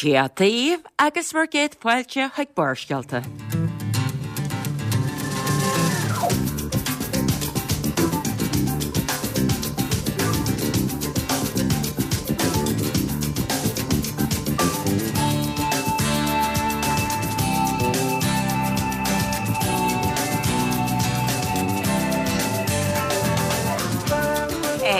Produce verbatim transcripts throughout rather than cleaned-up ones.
Dia daoibh agus bhur gcéad fáilte chuig Barrscéalta.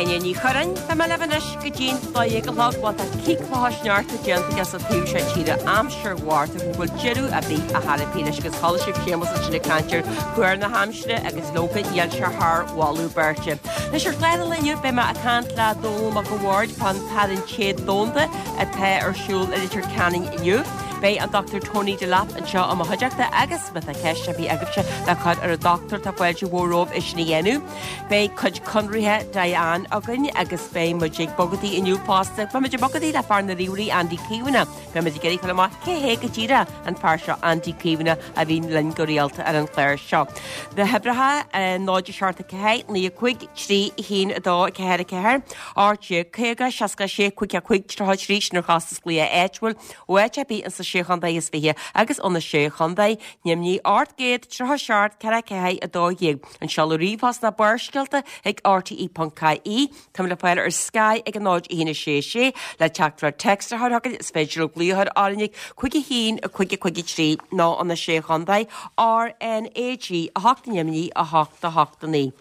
Áine Ní Churráin, Tá mé libh anois go dtí'n dó dhéag a chlog, bhuel tá cíoclacha sneachta déanta aige sa taobh seo tíre aimsir Mhárta go bhfuil deireadh ar bith a chor ar bith leis agus chuala sibh Séamus ansin ag caint ar thuar na haimsire agus leoga níl sé thar mholadh beirte. Anois ar chlár an lae inniu beidh mé ag caint le Dónall Mac a' Bhaird fán tarraingt téad domhanda atá ar siúl i Leitir Ceanainn inniu. Beidh an Dochtúir Tony Delap anseo i mo chuideachta agus má tá ceist ar bith agaibhse le cur ar an dochtúir tá fáilte mhór romhaibh é sin a dhéanamh. Beidh cuid conraithe Diane againn agus beidh muid ag bogadaí inniu fosta. Beidh muid ag bogadaí le fear na ríomhairí Andy Caomhánach. Beidh muid ag iarraidh fáil amach cé hé go díreach an fear seo Andy Caomhánach a bhíonn linn go rialta ar an chlár seo. Na huimhreacha náid a seacht a ceathair, naoi a cúig, trí a haon a dó a ceathair a ceathair, ocht déag caoga, seasca a sé, cúig a cúig, tríocha a trí, sin ar chostas glaoch áitiúil ó áit ar bith insa Sé Chontae is Fiche agus ó na Sé Chontae, Nimhní ocht gcéad tríocha seacht ceithre ceathair a dó dhéag. An seoladh ríomhphost ná Barrscéalta ag R T E ponc I E. Táim le fáil ar Sky ag a náid a haon a sé sé le teachtaireacht téacs a chur chugainn is féidir libh glaoch a chur orainn ag cúig a haon a cúig a cúig a trí nó ó na Sé Chontae R N A G a hocht Nimhní a hocht a hocht a naoi.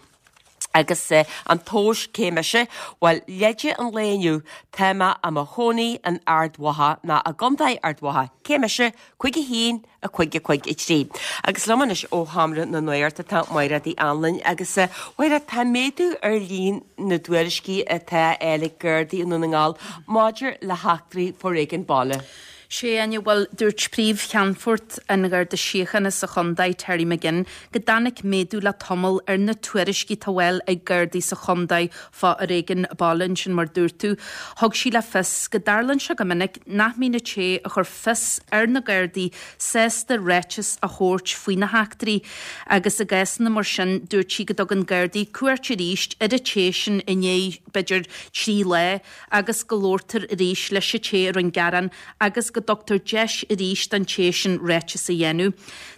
Agus an tomhas cé mise? Bhuel, leide an lae inniu, tá mé i mo chónaí in Ard Mhacha, nó i gContae Ard Mhacha. Cé mise? Cúig a haon, a cúig a cúig a trí. Agus liom anois ó Sheomra na Nuachta tá Máire Uí Anluain agus a Mháire, tá méadú ar líon na dtuairiscí atá á fháil ag Gardaí i nDún na nGall maidir le heachtraí foréigin baile. Sé Áine, bhuel, dúirt Príomh-Cheannfort an Gharda Síochána sa chontae, Terry McGinn, go dtáinig méadú le tamall ar na tuairiscí atá á bhfáil ag Gardaí sa chontae fá fhoréigean baile ansin mar dúirt tú. Thug sí le fios go dtarlaíonn sé go minic nach mbíonn an té a chuir fios ar na Gardaí sásta ráiteas a thabhairt faoi na heachtraí agus i gcásanna mar sin dúirt sí go dtugann Gardaí cuairt arís ar an té sin i ndiaidh b'fhéidir trí lá agus go labhartar arís leis an té a rinne gearán agus go dtugtar deis arís don té sin ráiteas a dhéanamh.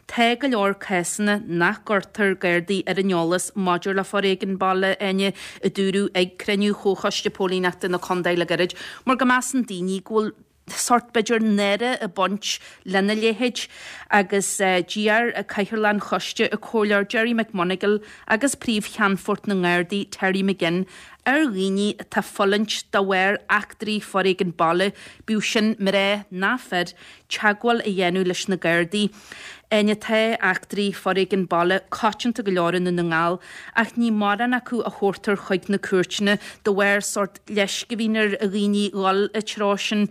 Tá go leor cásanna nach gcuirtear Gardaí ar an eolas maidir le foréigean baile, Áine, a dúradh ag cruinniú Chomhchoiste Póilíneachta na Contae le gairid, mar go measann daoine go bhfuil sórt b'fhéidir náire ag baint lena leithéid agus d'iarr Cathaoirleach an Choiste, an Comhairleoir Gerry McMonagle agus Príomh-Cheannfort na nGardaí Terry McGinn ar dhaoine atá ag fulaingt de bharr eachtraí foréigean baile, bíodh sin mná ná fir, teagmháil a dhéanamh leis na Gardaí. Áine, tá eachtraí foréigean baile coitianta go leor i nDún na nGall, ach ní mórán acu a thabhartar chuig na cúirteanna de bharr sórt leisce a bhíonn ar dhaoine dhul an treo sin,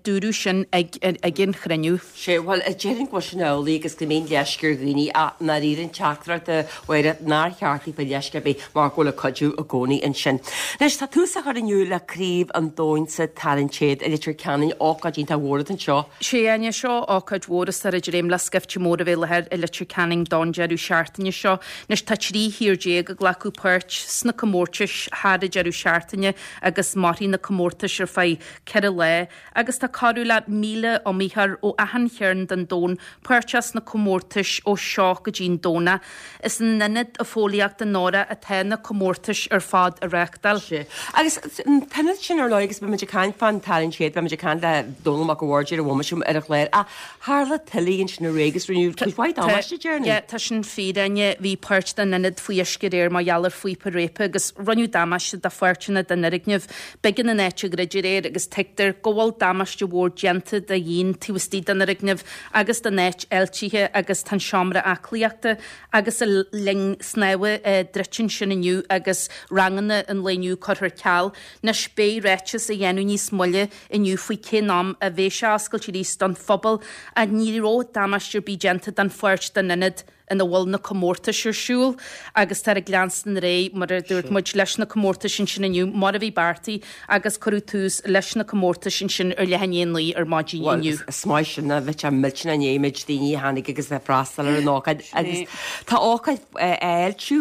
dúradh sin ag an chruinniú. Sé, bhuel, déarfainn go bhfuil sin amhlaidh agus go mbíonn leisce ar dhaoine ach ndáiríre an teachtaireacht a Mháire nár cheart daofa leisce ar bith mar go bhfuil an cuidiú i gcónaí ansin. Anois, tá tús á chur inniu le Craobh an Domhain sa Tarraingt Téad i Leitir Ceanainn, ócáid iontach mhór atá anseo. Sé, Áine, seo ócáid mhór is táthar ag dréim le scaifte mór a bheith i láthair i Leitir Ceanainn don deireadh seachtaine seo. Anois tá trí thír déag ag glacadh páirt sna comórtais thar an deireadh seachtaine agus mairfidh na comórtais ar feadh ceithre lá agus tá corradh le míle iomaitheoir ó achan chearn den domhan páirteach sna comórtais ó seo go dtí'n Domhnach. Is in Ionad Fóillíochta Nora atá na comórtais ar fad á reáchtáil. Sé. Agus an t-ionad sin ar ndóigh agus beidh muid ag caint fán tarraingt téad, beidh muid ag caint le Dónall Mac a' Bhaird ar an bhomaite ar an chlár ach tharla tuile ansin aréir agus rinneadh cuid mhaith damáiste déarfainn. Yeah, tá sin fíor, Áine. Bhí páirt den ionad faoi uisce aréir mar gheall ar phíopa réabtha agus rinneadh damáiste do pháirteanna den fhoirgneamh. B'éigean an áit a dhruid aréir agus tuigtear go bhfuil damáiste mhór déanta do dhíon taobh istigh den fhoirgneamh agus don áit fháiltithe agus tá an seomra aclaíochta agus an linn snámha druidte ansin inniu agus ranganna an lae inniu curtha ar ceal. Anois beidh ráiteas á dhéanamh níos moille inniu faoi cén am a bheidh sé oscailte arís don phobal ach ní raibh damáiste ar bith déanta don pháirt den ionad ina bhfuil na comórtais ar siúl agus tá ag leanstan ar aghaidh mar a dúirt muid leis na comórtais ansin inniu mar a bhí beartaithe agus cuireadh tús leis na comórtais ansin ar leath i ndiaidh a naoi ar maidin inniu. Is maith sin a bheith millteanach an méid daoine a tháinig agus a freastal ar an ócáid agus tá ócáid fháiltiú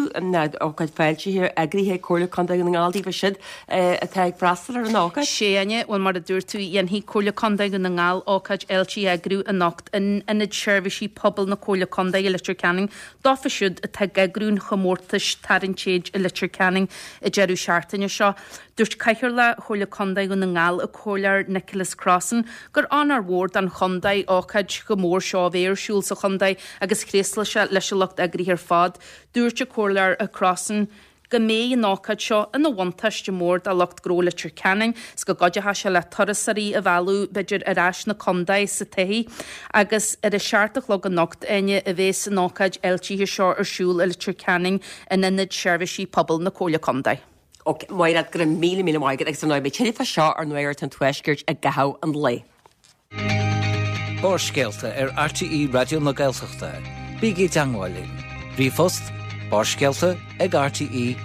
ócáid fáiltithe eagraithe ag Comhairle Contae Dhún na nGall daofa siúd atá ag freastal ar an ócáid. Sea a Áine, bhuel mar a dúirt tú dhéanfaidh Comhairle Contae Dhún na nGall ócáid fháiltithe a eagrú anocht in Ionad Seirbhísí Pobail na Comhairle Contae i Leitir Ceanainn dófa siúd atá ag eagrú an chomórtais Tarraingt Téid i Leitir Ceanainn an deireadh seachtaine seo. Dúirt Cathaoirleach Chomhairle Contae Dhún na nGall an Comhairleoir Nicholas Crossan gur onóir mhór don chontae ócáid chomh mór seo a bheith ar siúl sa chontae agus thréaslaigh sé leis an lucht eagraithe ar fad. Dúirt an Comhairleoir Crossan go mbeidh an ócáid seo ina bhuntáiste mór do lucht gnó Leitir Ceanainn 's go gcuideoidh sé le turasóirí a mhealladh b'fhéidir ar ais 'na contae sa todhchaí agus ar a seacht a chlog anocht Áine a bheas an ócáid fháiltithe seo ar siúl i Leitir Ceanainn in Ionad Seirbhísí Pobail na Comhairle Contae. Ok, Máire, go raibh míle míle maith agat agus ar ndóigh beidh tuilleadh fá seo ar Nuacht an Tuaiscirt i gcaitheamh an lae. Barrscéalta ar RTÉ Raidió na Gaeltachta. Bígí i dteagmháil linn. Ríomhphost barrscéalta ag rte.ie.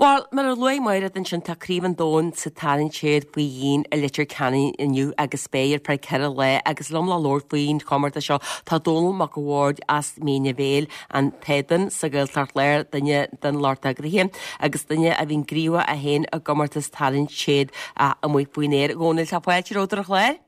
Bhuel, mar a luaigh Máire ansin tá Craobh an Domhain sa Tarraingt Téad faoi dhíon i Leitir Ceanainn inniu agus beidh ar feadh ceithre lá agus liom le labhairt faoin chomórtas seo tá Dónal Mac a' Bhaird as Mín an Bhéil, an tÉadan sa Ghaeltacht Láir, duine den lucht eagraithe agus duine a bhíonn gníomhach é féin i gcomórtas Tarraingt Téad amuigh faoin aer. A Dhónaill, tá fáilte romhat ar an chlár.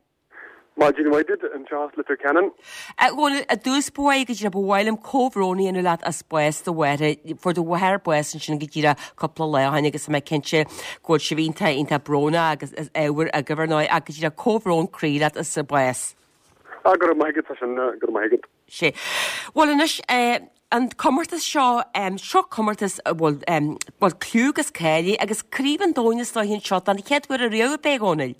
Maidin mhaith duit anseo as Leitir Ceanainn. A Dhónaill, i dtús báire go díreach ba mhaith liom comhbhrón a dhéanamh leat as bás do mháthar. Fuair do mháthair bás ansin go díreach cúpla lá ó shin agus tá mé cinnte go bhfuil sibh iontach iontach brónach agus is ábhar agaibh ar ndóigh ach go díreach comhbhrón croí leat as a bás. Ah, go raibh maith agat, tá sin, go raibh maith agat. Sé. Bhuel anois, an comórtas seo, seo comórtas a bhfuil, bhfuil clú agus cáil air agus Craobh an Domhain is dóiche anseo don chéad uair ariamh, ab é, a Dhónaill?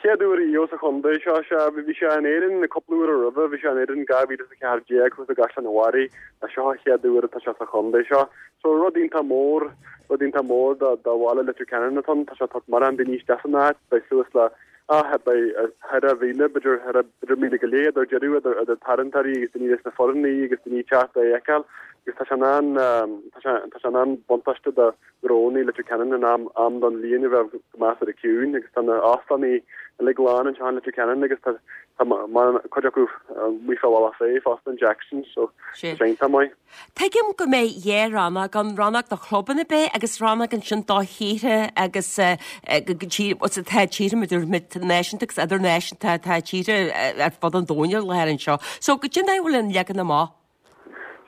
Chéad uair ariamh sa chontae seo, sea, bhí sé in Éirinn cúpla uair roimhe, bhí sé in Éirinn dhá mhíle is a ceathair déag thuas i gCaisleán an Bharraigh, ach seo an chéad uair atá sé sa chontae seo. So rud iontach mór, rud iontach mór do, do bhaile Leitir Ceanainn atá ann, tá sé ag tabhairt mórán daoine isteach san áit, beidh suas le, ah, beidh ceithre mhíle, b'fhéidir, ceithre, b'fhéidir míle go leith idir deireadh, idir, idir tarraingteoirí agus daoine leis na foirne agus daoine ag teacht é a fheiceáil agus tá sé in ann, tá sé, tá sé in an-bhuntáiste do, gnónna Leitir Ceanainn in am am don bhliain a bheith go measartha ciúin agus tá na hóstáin uilig lán anseo in Leitir Ceanainn agus tá tá cuid acu amuigh fá Bhealach Féich fosta in Jackson's so tá sé iontach maith. Tuigim go mbeidh dhá rannóg ann, rannóg do chlubanna ab ea agus rannóg ansin do thíortha agus tá tíortha mar a dúirt muid náisiúnta agus idirnáisiúnta tá tíortha ar fud an domhain ar láthair anseo. So goidé an dóigh a bhfuil an leagan amach.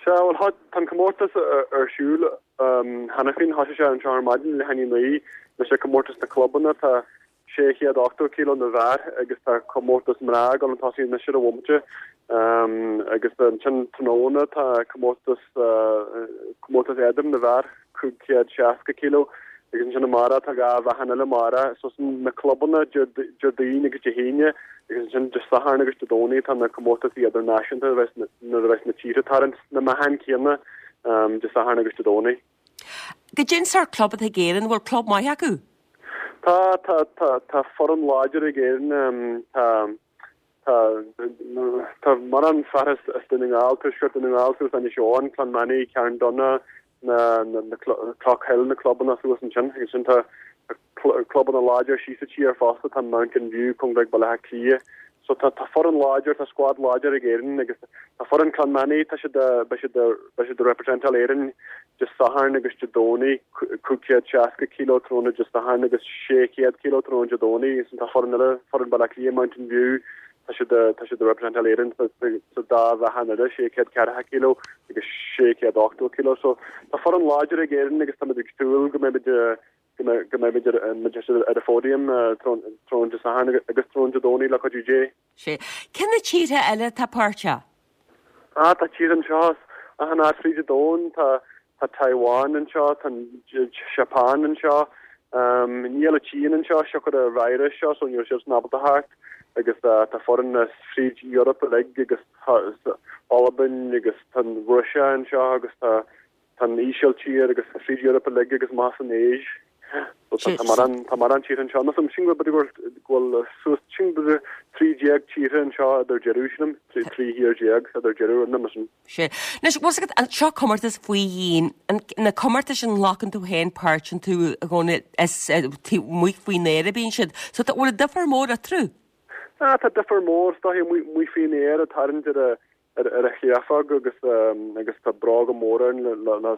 Sea, bhuel, tá an comórtas ar siúl cheana féin. Thosaigh sé anseo ar maidin leath i ndiaidh a naoi. Leis an comórtas na clubanna, tá sé chéad ochtó kilo na bhfear agus tá comórtas mná ag dul chun tosaigh anois ar an bhomaite. Agus ansin tráthnóna tá comórtas comórtas éadrom na bhfear, cúig chéad seasca kilo. Agus ansin amárach tá dhá mheáchan eile amárach. So sin na clubanna Déardaoin agus Dé hAoine agus ansin Dé Sathairn agus Dé Domhnaigh tá na comórtasaí idirnáisiúnta a bheas nuair a bheas na tíortha ag tarraingt na meáchain céanna Dé Sathairn agus Dé Domhnaigh. Goidé an sórt club atá ag Éirinn, an bhfuil club maith acu? Tá, tá, tá, tá foireann láidir ag Éirinn. Tá. Tá tá mórán fear as as Dún na nGall, Tuaisceart Dhún na nGall suas Inis Eoghain, Clonmany, Carndonagh, na na na Clough na clubanna suas ansin. Agus sin tá clubanna láidir síos sa tír fosta, tá Mountain View, cóngarach Baile Átha Cliath. So tá tá foireann láidir, tá squad láidir ag Éirinn agus tá foireann Clonmany, tá siad beidh siad beidh siad ag representáil Éirinn Dé Sathairn agus Dé Domhnaigh, cúig chéad seasca kilo tráthnóna Dé Sathairn agus sé chéad kilo tráthnóna Dé Domhnaigh. Agus tá foireann eile, foireann Baile Átha Cliath, Mountain View, tá siad tá siad ag representáil Éirinn sa sa dá mheáchan eile, sé chéad ceathracha kilo agus sé chéad ochtó kilo. So tá foireann láidir ag Éirinn agus táimid ag súil go mbeimid go mbeidh go mbeimid ar ar an phodium tráthnóna Dé Sathairn agus tráthnóna Dé Domhnaigh le cuidiú Dé. Sé. Cé na tíortha eile atá páirteach? Ah, tá tíortha anseo as achan áit fríd an domhan, tá tá Taiwan anseo, tá an Seapáin anseo, níl an tSín anseo, siocair an virus seo, so níl siadsan ábalta theacht, agus tá foireann as fríd Europe uilig agus Albain agus tá an Rúise anseo agus tá Tá an Ísiltír agus fríd Europe uilig agus amach san Áis. So tá tá mórán tá mórán tíortha anseo. Nó sin go bhfuil go bhfuil suas sin b'fhéidir trí déag tíortha anseo idir deireadh sílim, trí trí thír déag idir deireadh an sin. Sé. Anois, bhfuil fhios agat, an seo comórtas faoi dhíon, an, na comórtais a nglacann tú féin páirt iontu a Dhónaill, is amuigh faoin aer a bíonn siad. So tá, bhfuil difear mór eatarthu? Ah, tá difear mór, is dóiche, amuigh, amuigh faoin aer ag tarraingt ar a, ar a chréafóg agus agus tá bróga móra ann le le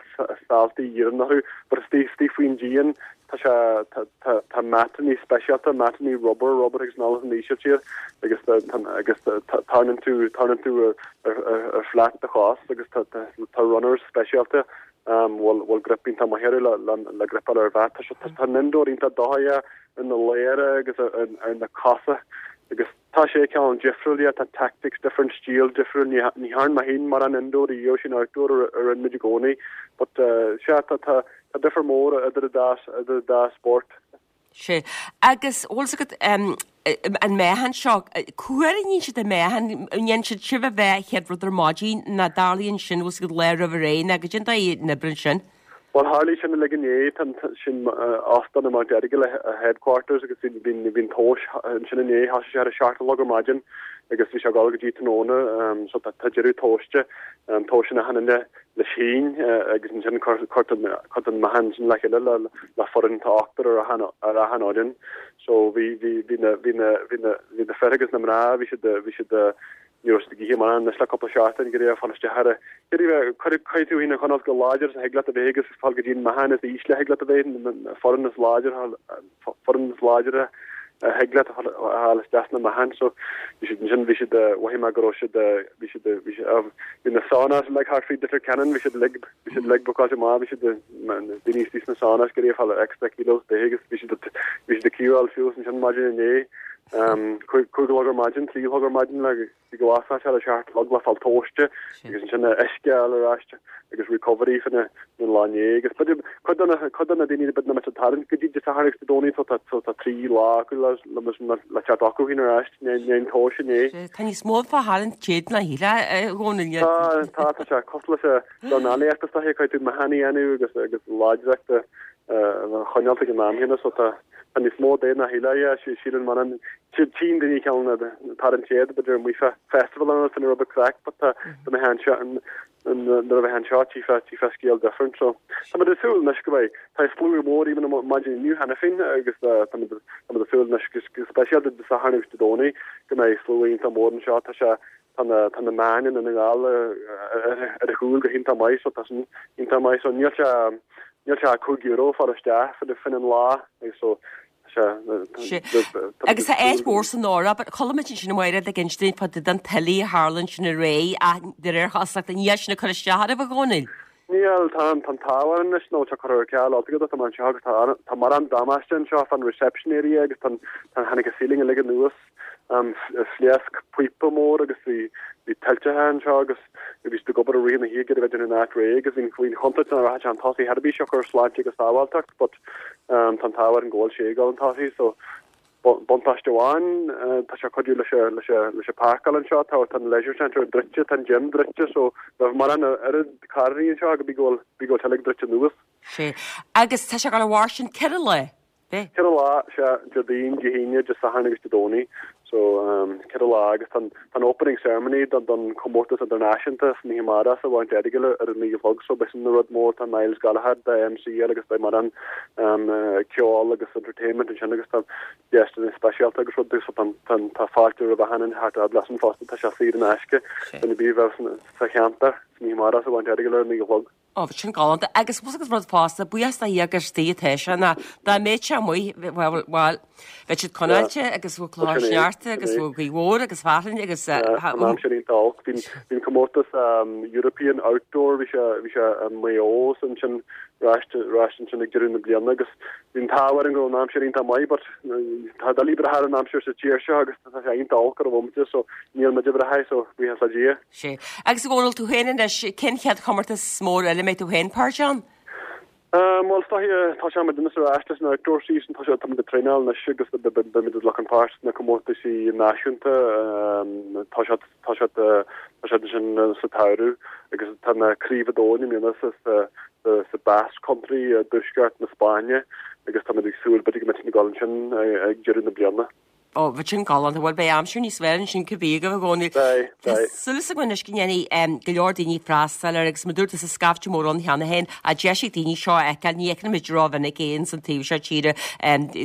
saltaí iarainn orthu but istigh istigh faoin díon tá sé tá tá tá matannaí speisialta matannaí rubber rubber agus an san Ísiltír agus tá agus tarraingeann tú tarraingeann tú ar ar flat do chos agus tá tá tá runners speisialta um bhfuil bhfuil grip iontach maith orthu le le le gripeáil ar mhat tá sé tá an indoor iontach dóiche ar na lámha agus ar ar na cosa agus tá sé cineál difriúil yeah, tá tactics different stíl difriúil ní ní thearn mé féin mórán indoor riamh sin outdoor a rinne muid i gcónaí but uh, sea tá tá tá difear mór idir an dá idir an dá spórt. Sé. Agus bhfuil fhios agat um, an meáchan seo, cá huair a níonn siad an meáchan, an ndéanann siad sibh a mheá chéad rud ar maidin nó tarlaíonn sin bhfuil fhios agat lá roimh ré nó goidé an dóigh a n-oibríonn sin? Bhuel tharlaigh sin uilig inné, tá sin óstán i Mount Errigal a headquarters agus bhí bhí bhí an tomhas ansin inné, thosaigh sé ar a seacht a chlog ar maidin agus bhí sé ag dul go dtí tráthnóna so tá tá deireadh tomhaiste, tomhaiseann achan duine leis féin agus ansin cuirtear cuirtear an meáchan sin le chéile le le foireann tá ochtar ar achan ar achan fhoireann. So bhí bhí bhí na bhí na bhí na bhí na fir agus na mná bhí siad bhí siad Ní raibh siad ag ithe mórán anois le cúpla seachtain ag iarraidh fáil isteach ar a iarraidh bheith cuir tú féin a choinneáil go láidir is a thig leat a bheith agus fáil go dtí an meáchan is ísle a thig leat a bheith, na foireann is láidir foireann is láidre a thig leat a fháil isteach sna meáchain. So bhí siad ansin bhí siad mhothaigh mé go raibh siad bhí siad bhí siad bhí na saunas like thart faoi Leitir Ceanainn bhí siad uilig bhí siad uilig bookáilte amach bhí siad daoine istigh sna saunas ag iarraidh fáil extra kilos de agus bhí siad bhí siad ag queueáil suas ansin maidin inné. Cúig a chlog ar maidin, trí a chlog ar maidin le go bhfásfadh sé ar a seacht a chlog le fáil tomhaiste agus ansin uisce a fháil ar ais agus recovery fá choinne an lá inné agus b'fhéidir cuid de na cuid de na daoine b'fhéidir nach mbeadh ag tarraingt go dtí Dé Sathairn agus Dé Domhnaigh so tá so tá trí lá acu le le le teacht acu féin ar ais i ndiaidh an tomhais inné. Tá níos mó fá tharraingt téad ná shílfeá a Dhónaill. Tá tá tá sé cosúil leis an dornálaíocht is dóiche caithfidh tú meáchan a dhéanamh agus agus láidreacht a a choinneáil ag an am chéanna so tá tá níos mó de ná shílfeá yeah síleann man an tchíonn daoine ceann tarraingt téad b'fhéidir amuigh fá festival an san rud craic but tá tá mé anseo an nuair a bheith anseo tchífeá tchífeá scéal different so tá muid ag súil anois go mbeidh tá slua mór even maidin inniu cheana féin agus tá muid tá muid ag súil anois go speisialta Dé Sathairn agus Dé Domhnaigh go mbeidh slua iontach mór anseo tá sé tá na tá na meáin i nDún na nGall ar a chúl go hiontach maith so tá sin iontach maith so níl sé níl sé cúig euro fáil isteach fá choinne an lá agus so sé Agus tá áit mhór san Eoraip, chuala muid ansin Máire ag insint fá dtaobh den tuile a tharla ansin aréir ach de réir chosúlachta níl sin ag cur isteach oraibh a Dhónaill. Níl, tá an t-ádh orainn anois nó tá curtha ar ceal altogether tá mé anseo agus tá tá mórán damáiste anseo fán reception area agus tá tá tháinig an ceiling uilig anuas phléasc píopa mór agus bhí bhí tuilte anseo agus bhí siad ag obair i rith na hoíche a bheith in áit réidh agus bhí bhí an chontúirt nach rachadh sé chun tosaigh ar bith siocair sláinte agus sábháilteacht but tá an t-ádh orainn go bhfuil sé ag dul chun tosaigh so buntáiste amháin tá sé ag cuidiú leis leis leis an páirceáil anseo tá tá an leisure centre druidte tá an gym druidte so bheadh mórán oiread carrannaí anseo go bhí go bhfuil bhí go bhfuil sé uilig druidte anuas. Sé. Agus tá sé ag dul a mhair sin ceithre lá. Ceithre lá, sea, Déardaoin, Dé hAoine, Dé Sathairn agus Dé Domhnaigh. So, ceithre lá agus tá an opening ceremony don don chomórtas idirnáisiúnta san oíche amárach sa Mount Errigal ar a naoi a chlog so beidh sin ina rud mór, tá Myles Gallagher de MC air agus beidh mórán ceol agus entertainment ansin agus tá guestanna speisialta agus rudaí so tá tá tá fáilte roimh achan duine thart fhad leis an fosta, tá sé saor in aisce duine ar bith a bheadh sa cheantar san oíche amárach sa Mount Errigal ar a naoi a chlog. Ó, sin galánta. Agus bhfuil agus rud fosta, buíochas do Dhia gur istigh atá sé ná dá mbeadh sé amuigh, bhuel, bhuel, bheadh siad conáilte agus bheadh clocha sneachta agus bheadh gaoth mhór agus fearthainn agus An aimsir iontach olc. Bhí bhí an comórtas European Outdoor, bhí sé bhí sé i Maigh Eo ansin arís arís ansin ag deireadh na bliana agus bhí an t-ádh orainn go raibh an aimsir iontach maith but tá doiligh brath ar an aimsir sa tír seo agus tá sé iontach olc ar an bhomaite so níl muid ag brath air so buíochas le Dia. Sé. Agus a Dhónaill, tú féin anois, cén chéad chomórtas mór eile a mbeidh tú féin páirteach ann? Bhuel, is dóiche, tá sé muid anois ar ais leis an outdoor season, tá sé, tá muid ag traenáil anois agus beidh muid ag glacadh páirt sna comórtaisí náisiúnta, tá siad, tá siad, tá siad ansin sa tsamhradh agus tá na Craobh an Domhain i mbliana sa, sa, sa Basque Country i dtuaisceart na Spáinne agus tá muid ag súil b'fhéidir go mbeidh muid ag dul ansin ag deireadh na bliana. Ó, bheadh sin galánta, bhuel beidh aimsir níos fearr ansin cibé agaibh a Dhónaill. Beidh, Tá beidh. súil againn anois go ndéanfaidh go leor daoine freastal air agus mar dúirt tú tá scaifte mór ann cheana féin, a deis ag daoine seo a fheiceáil, ní fheiceann muid rómhinic é ins an taobh seo tíre,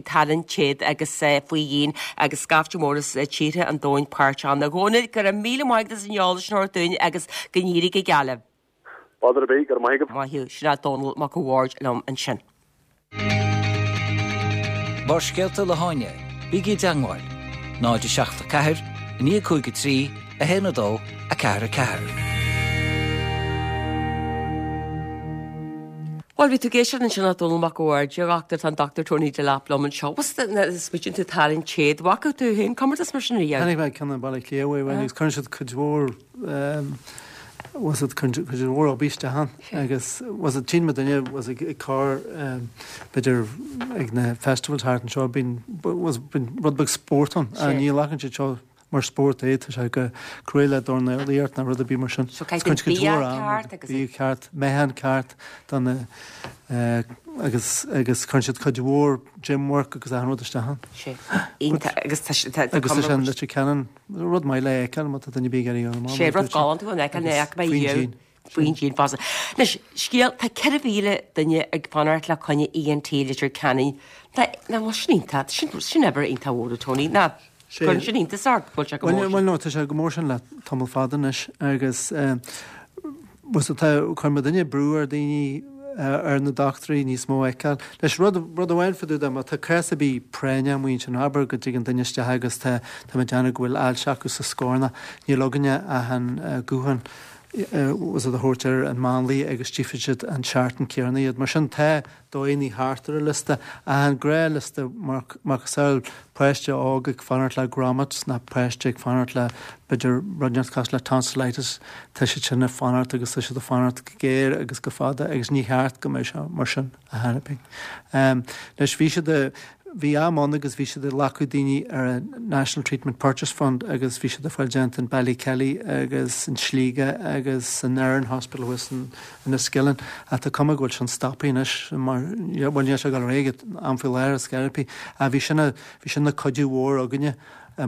tarraingt téad agus faoi dhíon agus scaifte mór as tíortha an domhain páirt ann. A Dhónaill, go raibh míle maith agat as an eolas sin a thabhairt dúinn agus go n-éirí go geal libh. Bother ar bith, go raibh maith agat. Maith thú, sin é Dónal Mac a' Bhaird liom ansin. Barrscéalta le hÁine, bígí i dteagmháil, náid a seacht a ceathair, a naoi cúig a trí, a haon a dó, a ceathair a ceathair. Bhuel, bhí tú ag éisteacht ansin le Dónal Mac a' Bhaird, a dhochtúir, tá an Dochtúir Tony Delap liom anseo. Bhfuil smaoitíonn tú tarraingt téad, bhfaca tú féin comórtas mar sin riamh? Chonaic mé ceann i mBaile Átha Cliath uair amháin agus cuireann siad cuid mhór was it cuid mhór obair isteach ann agus was it tchíonn muid duine was ag cur b'fhéidir ag na festivals thart anseo bíonn was bíonn rud beag spórt ann ní ghlacann siad seo mar spórt é tá sé go cruaidh le dornálaíocht nó rud ar bith mar sin. So caithfidh bia ceart agus bia ceart, meáchan ceart do na agus agus cuireann siad cuid mhór gym work agus achan rud isteach ann. Sé. Iontach agus tá sé tá Agus tá sé an Leitir Ceanainn rud maith le fheiceáil má tá duine ar bith ag iarraidh dul amach. Sé rud galánta an fheiceáil na mé Faoin Faoin díon fosta. Anois, scéal, tá ceithre mhíle duine ag fanacht le coinne ENT Leitir Ceanainn. Tá, ná bhfuil sin iontach, sin, sin obair iontach mhór, a Tony. Ná, Sé. cuireann sin iontas ort, go bhfuil sé go mór Bhuel, sin. bhuel, no, tá sé go mór sin le tamall fada anois agus bhuel, tá, cuireann muidinne brú ar daoine ar na dochtúirí níos mó a fheiceáil. Leis, rud, rud amháin fá dtaobh de, má tá cás ar bith práinneach amuigh ansin, abair go dtigeann duine isteach agus tá, tá muid ag déanamh go bhfuil ailse acu sa scornach, níl againne ach an guthán was it a thabhairt ar an máinlia agus tchífidh siad an seachtain céanna iad. Mar sin tá dóigheanna thart ar an liosta, ach an gnáthliosta macasamhail páiste óg ag fanacht le grommets nó páiste ag fanacht le b'fhéidir rud inteacht cosúil le tonsillitis, tá siad sin ag fanacht agus tá siad ag fanacht go géar agus go fada agus ní cheart go mbeadh sé mar sin a thairpeadh. Anois bhí siad a bhí am ann agus bhí siad ag glacadh daoine ar an National Treatment Purchase Fund agus bhí siad ag fáil déanta in Ballykelly agus in Sligo agus in Erin Hospital thuas in Enniskillen. Ach tá cuma go bhfuil sin stoptha anois mar bhuel níl sé ag dul ar aghaidh am faoi láthair ar scor ar bith. Ach bhí sin bhí sin ina cuidiú mhór againne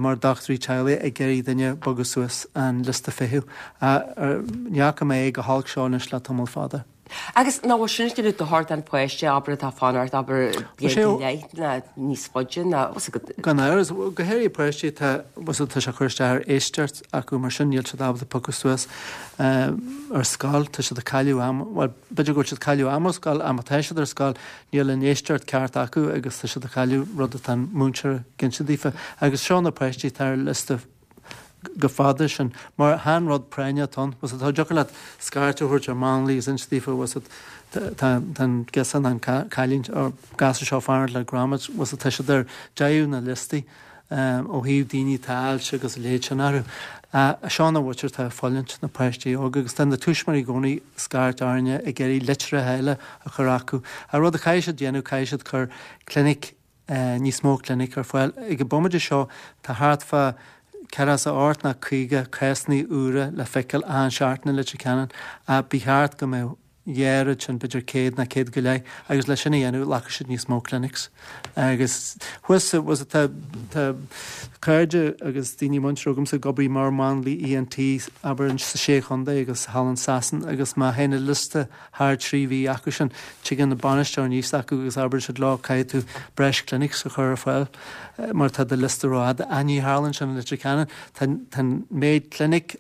mar dochtúirí teaghlaigh ag iarraidh duine bogadh suas an liosta feithimh. Ní fhaca mé é go holc seo anois le tamall fada. Agus ná bhfuil sin ag déanamh dochar don pháiste, abair atá ag fanacht, abair bliain go leith ná níos faide ná, bhfuil a fhios agat. Gan amhras, go háirithe páistí atá, bhfuil a fhios agat, tá sé ag cur isteach ar éisteacht acu mar sin níl siad ábalta piocadh suas ar scoil, tá siad ag cailleadh ama, bhuel b'fhéidir go bhfuil siad ag cailleadh ama ar scoil ach má tá siad ar scoil níl an éisteacht ceart acu agus tá siad ag cailleadh rud atá an múinteoir ag inse daofa. Agus seo na páistí atá ar liosta go fada sin mar chan rud práinneach atá ann. Bhfuil a fhios agat, tá deacair leat scairt a thabhairt ar mháinlia agus inse daofa, bhfuil a fhios agat, tá tá an girseach nó an cailín or gasúr seo ag fanacht le grommets, bhfuil a fhios agat, tá siad ar deireadh na liostaí ó thaobh daoine atá ailse agus a leithéid sin orthu. Seo na mhuintir atá ag fulaingt, na páistí óga agus tá na tuismitheoirí i gcónaí ag scairt orainne ag iarraidh litreacha eile a chur acu. An rud a chaithfidh siad déanamh, caithfidh siad cur clinic níos mó clinic ar fáil. Ag an bomaite seo tá thart fá ceathracha is a hocht nó caoga cásanna úra le feiceáil achan seachtain i Leitir Ceanainn ach ba cheart go mbeadh dhá oiread sin, b'fhéidir céad nó céad go leith, agus le sin a dhéanamh ghlacfadh siad níos mó clinics. Agus thuas sa, bhfuil a fhios agat, tá, tá cairde agus daoine muinteartha agamsa ag obair mar mháinliaí ENT, abair, sa Sé Chontae agus thall in Sasain agus má théann an liosta thar trí mhí acu sin, tigeann an bainisteoir aníos acu agus abrann siad leo caithfidh tú breis clinics a chur ar fáil mar tá do liosta rófhada. Ach ní tharlaíonn sin i Leitir Ceanainn. Tá an méid clinic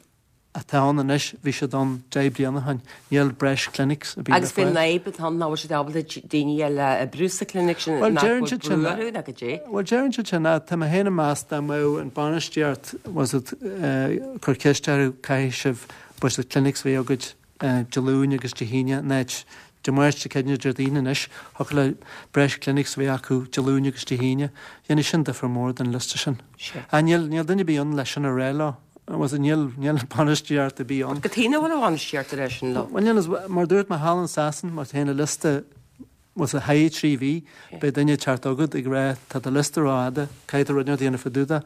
atá ann anois, bhí siad ann deich bliana ó shin. Níl breis clinics ar bith le Agus faoin fáil. fhadhb atá ann, nach bhfuil siad ábalta daoine eile a oibriú sa clinic sin, Bhuel, nach deireann bhfuil siad sin, brú orthu ná goidé? Bhuel, deireann siad sin, tá mé féin ag meas dá mbeadh an bainistíocht, was it, cur ceist orthu, caithfidh sibh, was it, clinics a bheith agaibh Dé Luain agus Dé hAoine in áit Dé Máirt, Dé Céadaoin, Déardaoin anois, thiocfadh le breis clinics a bheith acu Dé Luain agus Dé hAoine. Dhéanfadh sin difear mór don liosta sin. Ach níl, níl duine ar bith ann leis sin a rá leo. Was it, níl, níl bainistíocht ar bith ann. Cad chuige nach bhfuil an bhainistíocht ag rá sin leo? Bhuel, níl, mar dúirt mé thall in Sasain, má théann an liosta, bhfuil a thaithí trí mhí, beidh duine ag teacht chugat ag rá tá do liosta rófhada, caithfidh tú rud inteacht a dhéanamh fá dtaobh de.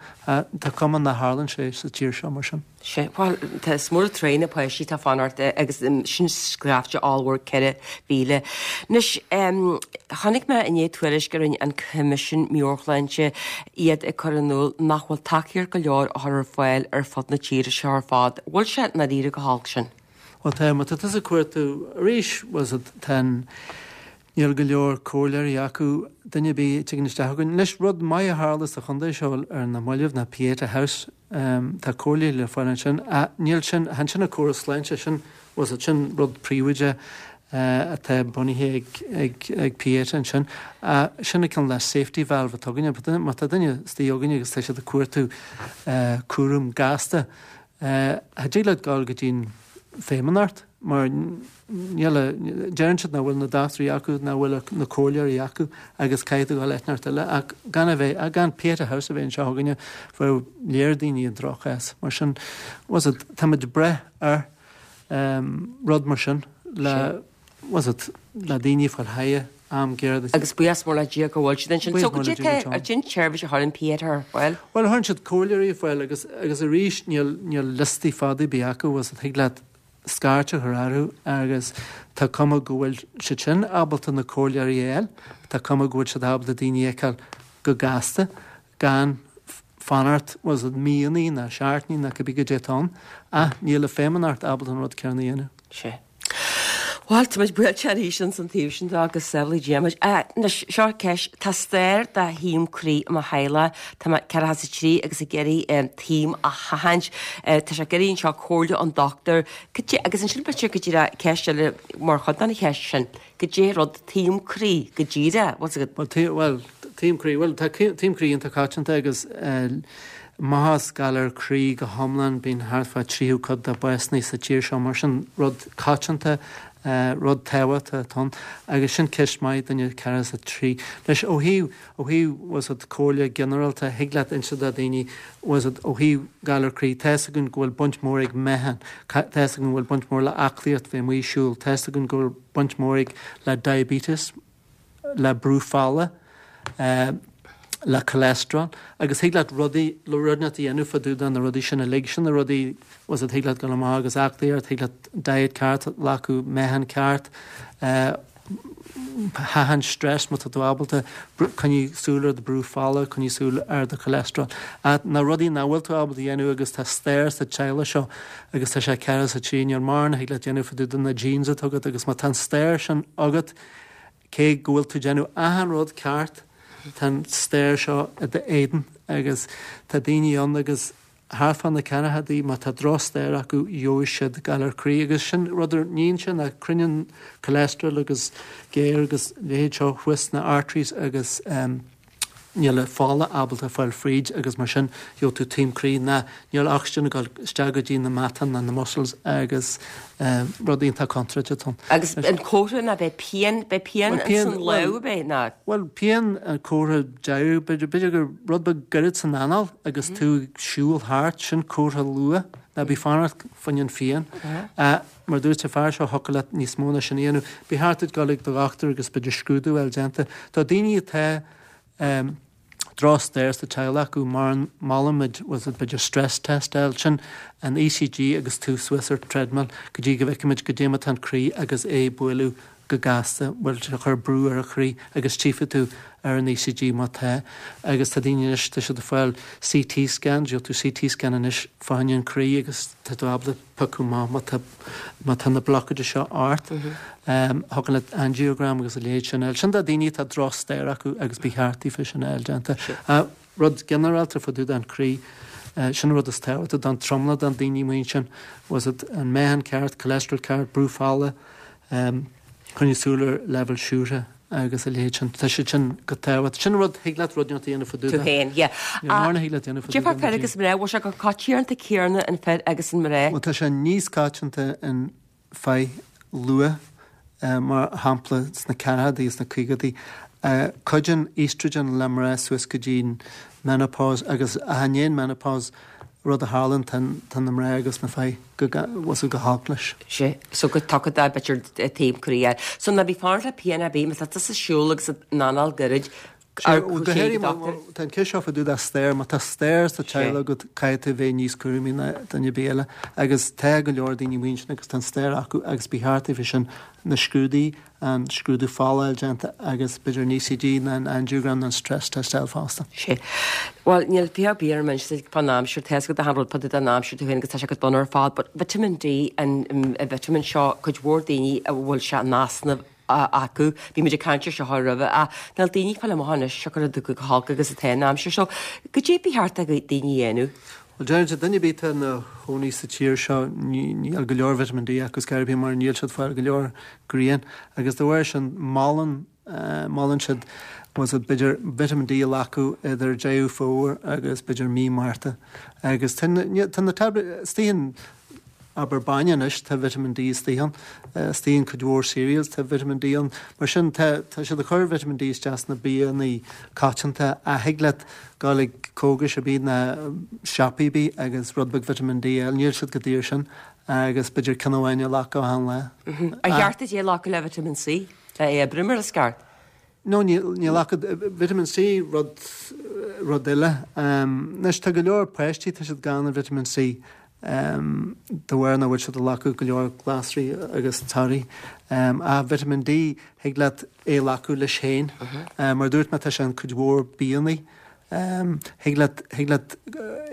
Tá cuma nach tharlann sé sa tír seo mar sin. Sea, bhuel, tá is mór an truaighe na páistí atá ag fanacht agus sin scaifte ollmhór ceithre mhíle. Anois, chonaic mé inné tuairisc a rinne an Coimisiún Meabhairshláinte, iad ag cur in iúl nach bhfuil tacaíocht go leor á chur ar fáil ar fud na tíre seo ar fad. Bhfuil sé i ndáiríre chomh holc sin? Bhuel tá, má tá tusa ag cuartú arís, bhuel tá an, níl go leor comhairleoirí acu, duine ar bith a tigeann isteach chugainn. Anois, rud maith a tharla sa chontae seo ar na mallaibh ná Pieta House, tá comhairle le fáil ansin. Níl sin, chan sin an córas sláinte, sin, bhuel sin rud príobháideach atá bunaithe ag, ag, ag Pieta ansin. Sin an cineál safety valve atá againne. Má tá duine istigh againne agus tá siad ag cuartú cúram gasta, Cha dtig leat dul go dtí'n Feidhmeannacht mar níl a, deireann siad nach bhfuil na dochtúirí acu, nach bhfuil na comhairleoirí acu agus caithfidh tú dul áit inteacht eile ach gan a bheith, gan Pieta House a bheith anseo againne bheadh léir daoine i ndroch-chás. Mar sin, bhfuil a fhios agat, táimid ag brath ar rud mar sin le, bhfuil a fhios agat, le daoine fáil thaithí am géar. Agus buíochas mór le Dia go bhfuil siad ansin. So goidé tá, cén tseirbhís a chuireann Pieta ar fáil? Bhuel, chuireann siad comhairleoirí ar fáil agus, agus arís níl, níl liostaí fada ar bith acu, bhfuil a fhios agat, thig leat scairt a chur orthu agus tá cuma go bhfuil siad sin ábalta na comhairleoirí a fháil, tá cuma go bhfuil siad ábalta daoine a fheiceáil go gasta gan fanacht, bhfuil a fhios agat, míonna ná seachtainí ná cibé goidé atá ann, ach níl an Feidhmeannacht ábalta an rud céanna a dhéanamh. Sea. Bhuel, tá muid buailte arís ins an taobh sin de agus sábhálaí Dia muid. Anois, seo ceist, tá stair de thaom croí i mo theaghlach, tá mé ceathracha is a trí agus ag iarraidh taom a sheachaint. Tá sé ag iarraidh anseo comhairle ón dochtúir. Cad é, agus ansin b'fhéidir go díreach ceist eile mar chuid den cheist sin, goidé rud taom croí go díreach, bhfuil a fhios agat? Bhuel, bhuel, taom croí, bhuel, tá taom croí iontach coitianta agus amach as galar croí go hiomlán, bíonn thart fá tríú cuid de básanna sa tír seo, mar sin rud coitianta, rud tábhachtach atá ann. Agus sin ceist maith, duine ceathracha is a trí. Anois, ó thaobh, ó thaobh, bhfuil a fhios agat, comhairle ginearálta, thig leat inse do dhaoine, bhfuil a fhios agat, ó thaobh galar croí, tá fhios againn go bhfuil baint mhór ag meáchan, tá fhios againn go bhfuil baint mhór le aclaíocht, bheith amuigh ag siúl, tá fhios againn go bhfuil baint mhór ag le diabetes, le brú fola, le cholesterol agus thig leat rudaí, rud inteacht a dhéanamh fá dtaobh de na rudaí sin uilig. Sin na rudaí, bhfuil a fhios agat, thig leat dul amach agus aclaíocht, thig leat diet ceart a ghlacadh, meáchan ceart, sheachaint stress má tá tú ábalta, coinnigh súil ar do brú fola, coinnigh súil ar do cholesterol. Ach na rudaí nach bhfuil tú ábalta a dhéanamh agus tá stair sa teaghlach seo agus tá sé ceathracha is a trí, níl mórán a thig leat déanamh fá dtaobh de na genes atá agat agus má tá an stair sin agat, Cé go bhfuil tú ag déanamh achan rud ceart, tá an stair seo i d'éadan agus tá daoine ann agus thart fá na ceathrachaidí, má tá drochstair acu, gheobhaidh siad galar croí agus sin rud a níonn sé ná cruinníonn cholesterol agus géar agus leithéid seo thuas sna arteries agus níl an fola ábalta fáil fríd agus mar sin gheobhaidh tú taom croí ná níl ocsaigin ag dul isteach go dtí na meatáin ná na muscles agus rud iontach contúirteach atá ann. Agus an comhartha ná beidh pian, beidh pian ins an lámh beidh ná? Bhuel pian an comhartha deiridh, b'fhéidir, b'fhéidir gur rud beag gairid san anáil agus tú ag siúl thart, sin comhartha luath, ná bí fanacht fá choinne an phian. Mar dúirt an fear seo thiocfadh leat níos mó ná sin a dhéanamh. Ba cheart duit dul ag do dhochtúir agus b'fhéidir scrúdú a fháil déanta. Tá daoine atá drochstair sa teaghlach acu, molaimid, bhfuil a fhios agat, b'fhéidir stress test a fháil, sin an ECG agus tú suas ar treadmill go dtí go bhfeicfimid goidé mar atá an croí agus é ag bualadh go gasta, bhfuil sé ag cur brú ar an chroí agus tchífidh tú ar an ECG má tá. Agus tá daoine anois, tá siad ag fáil CT scans, gheobhaidh tú CT scan anois fá choinne an croí agus tá tú ábalta piocadh amach má tá má tá na blocáidí seo ort. Thiocfadh leat angiogram agus a leithéid sin a fháil. Sin do daoine atá drochstair acu agus ba cheart daofa sin a fháil déanta. Rud ginearálta fá dtaobh den chroí, sin an rud is tábhachtaí don tromlach den daoine amuigh ansin, bhfuil a fhios agat, an meáchan ceart, cholesterol ceart, brú fola, coinnigh súil ar leibhéal siúcra agus a leithéid sin. Tá siad sin go tábhachtach. Sin rud, thig leat rud inteacht a dhéanamh fá dtaobh de. Tú féin, yeah. Níl mórán a thig leat déanamh fá dtaobh de. Cad é fá fir agus mná, bhfuil sé chomh coitianta céanna in fir agus in mná? Bhuel, tá sé níos coitianta in fir luath, mar shampla sna ceathrachaidí is na caogaidí. Cuidíonn estrogen le mná suas go dtí an menopause agus i ndiaidh an menopause, rud a tharlaíonn tá na mná agus na fir go bhfuil go holc leis. Sé, so go dtaca dá b'fhéidir taobh croí air. So ná bí fanacht le pian ar bith, má tá tusa ag siúl agus an anáil gairid, Ar go háirithe tá an ceist seo fá dtaobh de stair, má tá stair sa teaghlach agat caithfidh tú bheith níos cúramaí ná duine ar bith eile agus tá go leor daoine muinteartha agus tá an stair acu agus ba cheart daofa sin na scrúduithe, an scrúdú fola a fháil déanta agus b'fhéidir an ECG nó an angiogram nó an stress test a fháil fosta. Sé. Bhuel, níl fiche ar bith ar an mbinse fán aimsir, tá a fhios agat achan rud fá dtaobh den aimsir tú féin agus tá sé go dona ar fad, but vitamin D, an vitamin seo, cuid mhór daoine a bhfuil sé in easnamh acu. Bhí muid ag caint ar seo roimhe ach níl daoine ag fáil amach anois siocair go holc agus atá an aimsir so goidé ba cheart do daoine a dhéanamh. Bhuel deirimse duine ar bith atá ina chónaí sa tír seo níl go leor vitamin D acu scor ar bith mar níl siad ag fáil go leor grian agus de bharr sin molann molann siad was it b'fhéidir vitamin D a ghlacadh idir Deireadh Fómhair agus b'fhéidir mí Márta agus tá na taibléid istigh in Abair bainne anois, tá vitamin D istigh ann. Istigh in cuid mhór cereals tá vitamin D ann. Mar sin tá tá siad ag cur vitamin D isteach sna bianna coitianta ach thig leat dul ag cógas ar bith ná siopaí ar bith agus rud beag vitamin D a fháil. Níl siad chomh daor sin agus b'fhéidir ceann amháin a ghlacadh achan lá. Ar cheart duit é a ghlacadh le vitamin C le é a oibriú mar is ceart? No, níl níl ach vitamin C rud rud eile. Anois tá go leor páistí tá siad gann ar vitamin C de bharr nach bhfuil siad ag glacadh go leor glasraí agus torthaí. Ach vitamin D thig leat é a ghlacadh leis féin. Mar a dúirt mé tá sé in cuid mhór bianna. Thig leat thig leat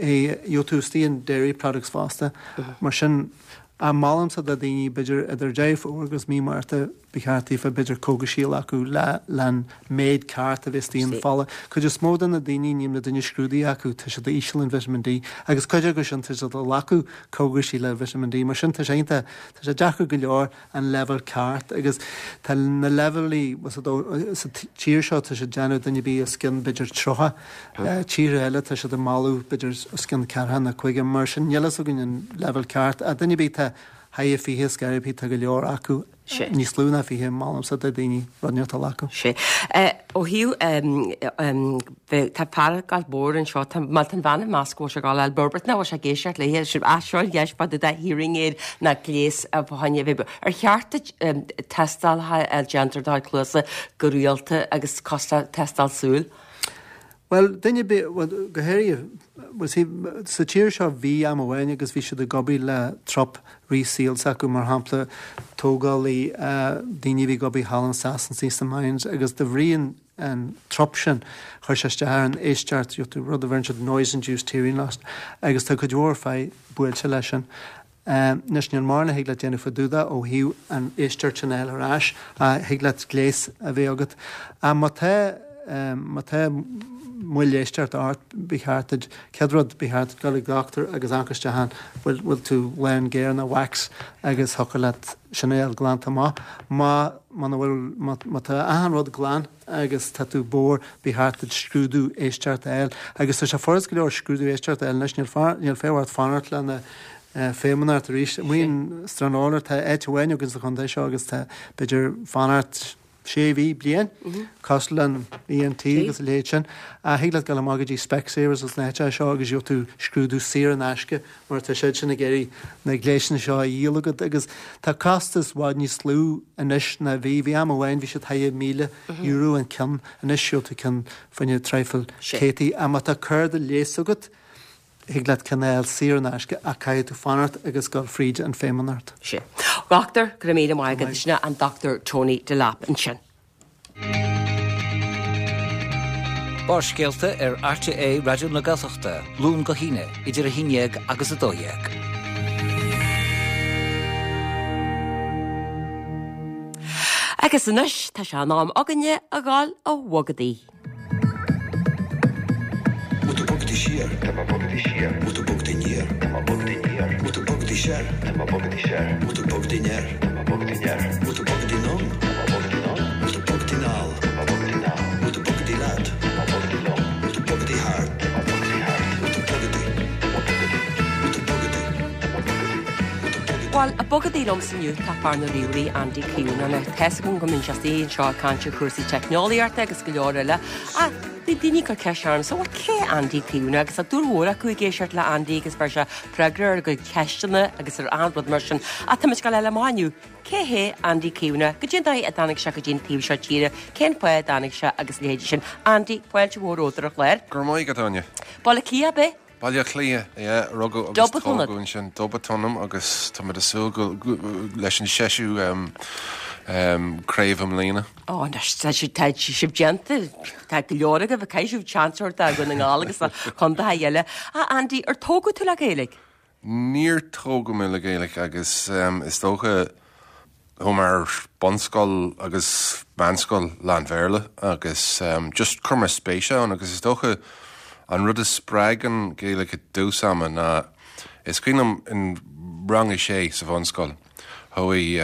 é gheobhaidh tú istigh in dairy products fosta. Mar sin ach molaimse do dhaoine b'fhéidir idir Deireadh Fómhair agus mí Márta ba cheart daofa b'fhéidir cógaisí a ghlacadh le le an méid ceart a bheith istigh in fola. Cuid is mó de na daoine níl na duine scrúdaithe acu tá siad íseal in vitamin D agus cuid acu sin tá siad ag glacadh cógaisí le vitamin D mar sin tá sé iontach tá sé deacair go leor an leibhéal ceart agus tá na leibhéalaí sa tír seo tá siad déanamh duine ar bith os cionn b'fhéidir tríocha tíortha eile tá siad ag moladh b'fhéidir os cionn ceathracha nó caoga mar sin níl fhios againn an leibhéal ceart ach duine ar bith tá thar fiche scor ar bith tá go leor acu níos lú ná fiche molaimse do daoine rud inteacht a ghlacadh. Sé. Ó thaobh tá fear ag gabháil mór anseo, tá má tá an bhean ag meas go bhfuil sé ag gabháil a fháil burbert ná bhfuil sé ag éisteacht léi, sin ah seo an gheis fá dtaobh de hearing aid ná gléas a choinne a bheith Ar cheart duit tástálacha a déantar do chuid cluasa go rialta agus cosúil le tástáil súl? Bhuel, duine ar bith, bhuel, go háirithe, bhuel, see, sa tír seo bhí am amháin agus bhí siad ag obair le trup rith saoil s'acu, mar shampla, tógálaí, daoine a bhí ag obair thall in Sasana sna mines agus de bhrí an, an trup sin, chuir sé isteach ar an éisteacht, rud a bheireann siad noise induced hearing loss agus tá cuid mhór fir buailte leis sin. Anois, níl mórán a thig leat déanamh fá dtaobh de ó thaobh an éisteacht sin a fháil ar ais, ach thig leat gléas a bheith agat. Ach má tá, má tá moill éisteachta ort, ba cheart duit, chéad rud, ba cheart duit dul ag dochtúir agus amharc isteach an bhfuil, bhfuil tú lán géar ná wax agus thiocfadh leat sin a fháil glanta amach. Má, muna bhfuil, má, má tá achan rud glan agus tá tú bodhar, ba cheart duit scrúdú éisteachta a fháil. Agus tá sé furast go leor scrúdú éisteachta a fháil anois, níl, níl feidhm ort fanacht lena Feidhmeannacht arís. Amuigh in Stranorlar tá áit amháin againn sa chontae seo agus tá b'fhéidir fanacht sé mhí, bliain, cosúil le an ENT agus a leithéid sin. Ach thig leat dul amach go dtí Specsavers agus na háiteacha seo agus gheobhaidh tú scrúdú saor in aisce mar tá siad sin ag iarraidh na gléasanna seo a dhíol agat agus tá costas i bhfad níos lú anois ná bhí. Bhí am amháin bhí siad thar míle euro an ceann, anois gheobhaidh tú ceann fá choinne traidhfil céadtaí. Ach má tá cárta leighis agat, Thig leat ceann a fháil saor in aisce ach caithfidh tú fanacht agus dul fríd an Feidhmeannacht. Sea. Dhochtúir, go raibh míle maith agat. Sin é an Dr Tony Delap ansin. Barrscéalta ar RTÉ Raidió na Gaeltachta, Luan go hAoine, idir a haon dhéag agus a dó dhéag. Agus anois tá sé in am againne a dhul a bhogadaí. Bhfuil tú bogadaí siar? Tá mé bogadaí siar. Bhfuil tú bogadaí aniar? Tá mé bogadaí aniar. Bhfuil tú bogadaí soir? Tá mé bogadaí soir. Bhfuil tú bogadaí anoir? Tá mé bogadaí anoir. Bhfuil tú bogadaí anonn? Tá mé bogadaí anonn. Bhfuil tú bogadaí anall? Tá mé bogadaí anall. Bhfuil tú bogadaí leat? Tá mé bogadaí liom. Bhfuil tú bogadaí thart? Tá mé bogadaí thart. Bhfuil tú bogadaí? Tá mé bogadaí. Bhfuil tú bogadaí? Tá mé bogadaí. Bhfuil tú bogadaí? Bhuel, ag bogadaí liomsa inniu tá fear na ríomhairí Andy Keown. Tá 'fhios agam go mbíonn sé istigh anseo ag caint ar chúrsaí teicneolaíochta agus go leor eile. Ach bhí daoine ag cur ceist ormsa, bhuel cé Andy Keown agus tá dúil mhór acu ag éisteacht le Andy agus bheir sé freagra ar a gcuid ceisteanna agus ar an rud mar sin. Ach tá muid ag gabháil a fháil amach inniu. Cé hé Andy Keown? Goidé an dóigh a dtáinig sé go dtí an taobh seo tíre, cén fáth a dtáinig sé agus leithéidí sin. Andy, fáilte mhór romhat ar an chlár. Go raibh maith agat, Áine. Baile Átha Cliath, ab é? Baile Átha Cliath, yeah, rugadh agus tógadh ansin. Dub atá ionam agus tá muid ag súil go leis an seisiú craobh i mbliana. Ó, anois, tá sibh tá sibh déanta, tá go leor agaibh, caithfidh sibh seans a thabhairt do Dhún na nGall agus do chontaetha eile. A Andy, ar tógadh tú le Gaeilge? Níor tógadh mé le Gaeilge agus is dócha chuaigh mé ar bunscoil agus meánscoil lán-Bhéarla agus just chuir mé spéis ann agus is dócha an rud a spreag an Ghaeilge i dtús ama ná is cuimhin liom in rang a sé sa bhunscoil chuaigh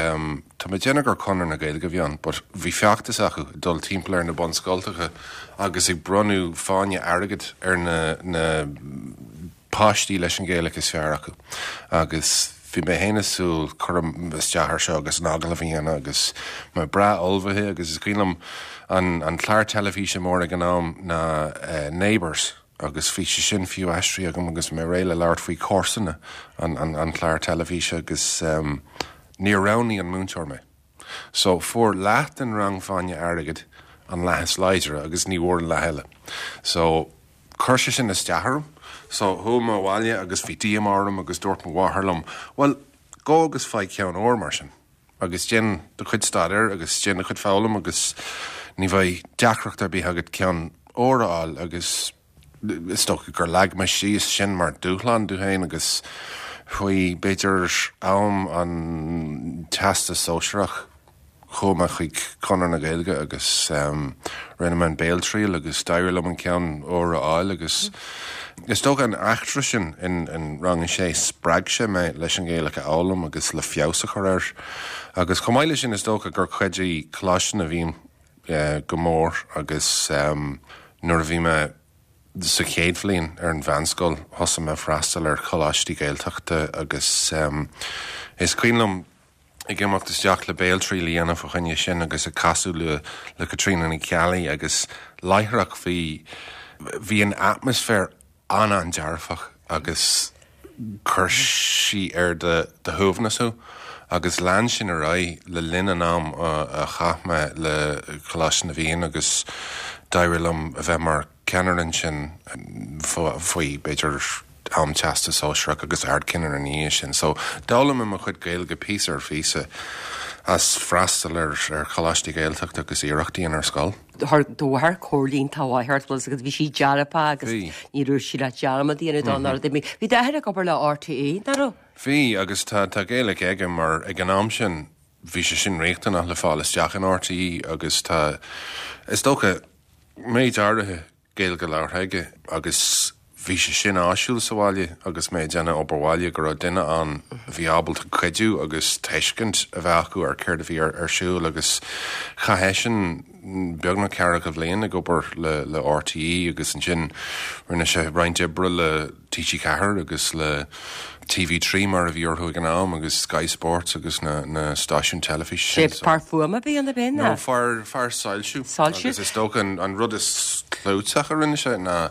tá mé ag déanamh gur Conradh na Gaeilge a bhí ann but bhí feachtas acu ag dul timpeall ar na bunscoltacha agus ag bronnadh fáinne airgid ar na na páistí leis an Ghaeilge is fearr acu agus bhí mé féin ag súil cur isteach air seo agus an agallamh a dhéanamh agus mé breá ullmhaithe agus is cuimhin liom an an clár teilifíse mór ag an am ná uh, Neighbours agus bhí sé sin fiú aistrithe agam agus mé réidh le labhairt faoi comharsana an, an, an clár teilifíse agus um, níor roghnaigh an múinteoir mé. So fuair leath den rang fáinne airgid an leath is láidre agus ní bhfuair an leath eile. So chuir sé sin isteach orm, so chuaigh mé abhaile agus bhí díomá orm agus dúirt mo mháthair liom, well, gabh agus faigh ceann óir mar sin. Agus déan do chuid staidéir agus déan do chuid foghlaim agus ní bheidh deacracht ar bith agat ceann óir a fháil agus is dócha gur leag mé síos sin mar dúshlán dom féin agus faoi b'fhéidir am an teastas sóisearach chuaigh mé chuig Conradh na Gaeilge agus um, rinne mé an béaltriail agus d'éirigh liom an ceann óir a fháil agus is dócha an eachtra sin in, in rang a sé spreag sé mé leis an Ghaeilge a fhoghlaim agus le feabhas a chur air. Agus chomh maith leis sin is dócha gur chuidigh Coláiste na bhFiann uh, go mór agus um, nuair a bhí mé sa chéad bhliain ar an mheánscoil thosaigh mé freastal ar choláistí Gaeltachta agus um, is cuimhin liom ag imeacht isteach le béaltriail a dhéanamh fá choinne sin agus ag casadh le le Caitríona Ní Cheallaigh agus láithreach bhí bhí an atmaisféar an-an-dearfach agus chuir sí ar do do shuaimhneas thú agus lean sin ar aghaidh le linn an am a chaith mé le Coláiste na bhFiann agus d'éirigh liom a bheith mar ceannaire ansin faoi b'fhéidir am teastas sóisearach agus ardcheannaire ina dhiaidh sin. So d'fhoghlaim mé mo chuid Gaeilge píosa ar phíosa as freastal ar ar choláistí Gaeltachta agus iarrachtaí ar scoil. Thar do mháthair comhairle iontach mhaith ort agus bhí sí dearfa agus Bhí. ní raibh sí le dearmad a dhéanamh dá nar bhí. Bhí d'athair ag obair le RTÉ, nach raibh? Bhí agus tá tá Gaeilge aige mar ag an am sin bhí sé sin riachtanach le fáil isteach in RTÉ agus tá is dócha méid áirithe Gaeilge labhartha aige agus bhí sé sin áisiúil sa bhaile agus mé ag déanamh obair bhaile go raibh duine ann a bhí ábalta cuidiú agus tuiscint a bheith acu ar céard a bhí ar, ar siúl agus chaith sin beagnach ceathracha bliain ag obair le, le RTÉ agus ansin rinne sé roinnt oibre le TG Ceathair agus le TV trí mar a bhí orthu ag an am agus Sky Sports agus na, na stáisiún teilifíse Sé sin, so- fear fuaime a bhí ann ab ea? No fear fear soilsiú Soilsiú? agus is dócha an, an rud is clúiteach a rinne sé ná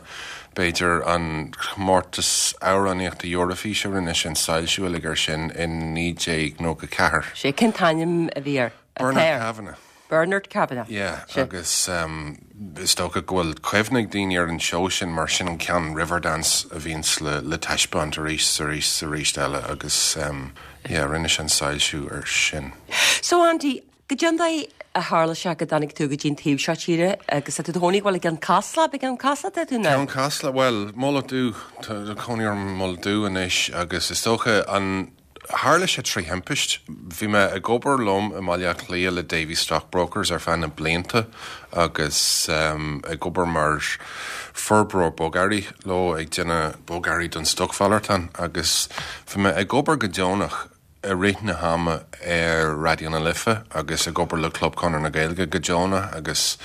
b'fhéidir an comórtas amhránaíochta Eorafís a rinne sin soilsiú uilig ar sin in naoi déag nócha ceathair. Sé cén t-ainm a bhí air? Bernard Kavanagh. Bernard Kavanagh. Yeah, Sé. agus um, is dócha go bhfuil cuimhne ag daoine ar an seó sin mar sin an ceann Riverdance a bhíonns le, le taispeáint arís arís arís eile agus um, yeah, rinne sin soilsiú ar sin. So Andy, goidé an dóigh a tharla sé go dtáinig tú go dtí an taobh seo tíre agus tú thónig bhfuil ag an Casla ag an Casla tú ná? Ceann Casla well Mullach Dubh cónaí orm i Mullach Dubh anois agus is dócha an tharla sé trí thimpist. Bhí mé ag obair liom i mBaile Átha Cliath le Davy Stockbrokers ar feadh na blianta agus um, ag obair mar forbróir bogearraí leo ag déanamh bogearraí don stocmhalartán agus bhí mé ag obair go deonach i rith na hama ar Raidió na Life agus ag obair le Club Chonradh na Gaeilge go deonach agus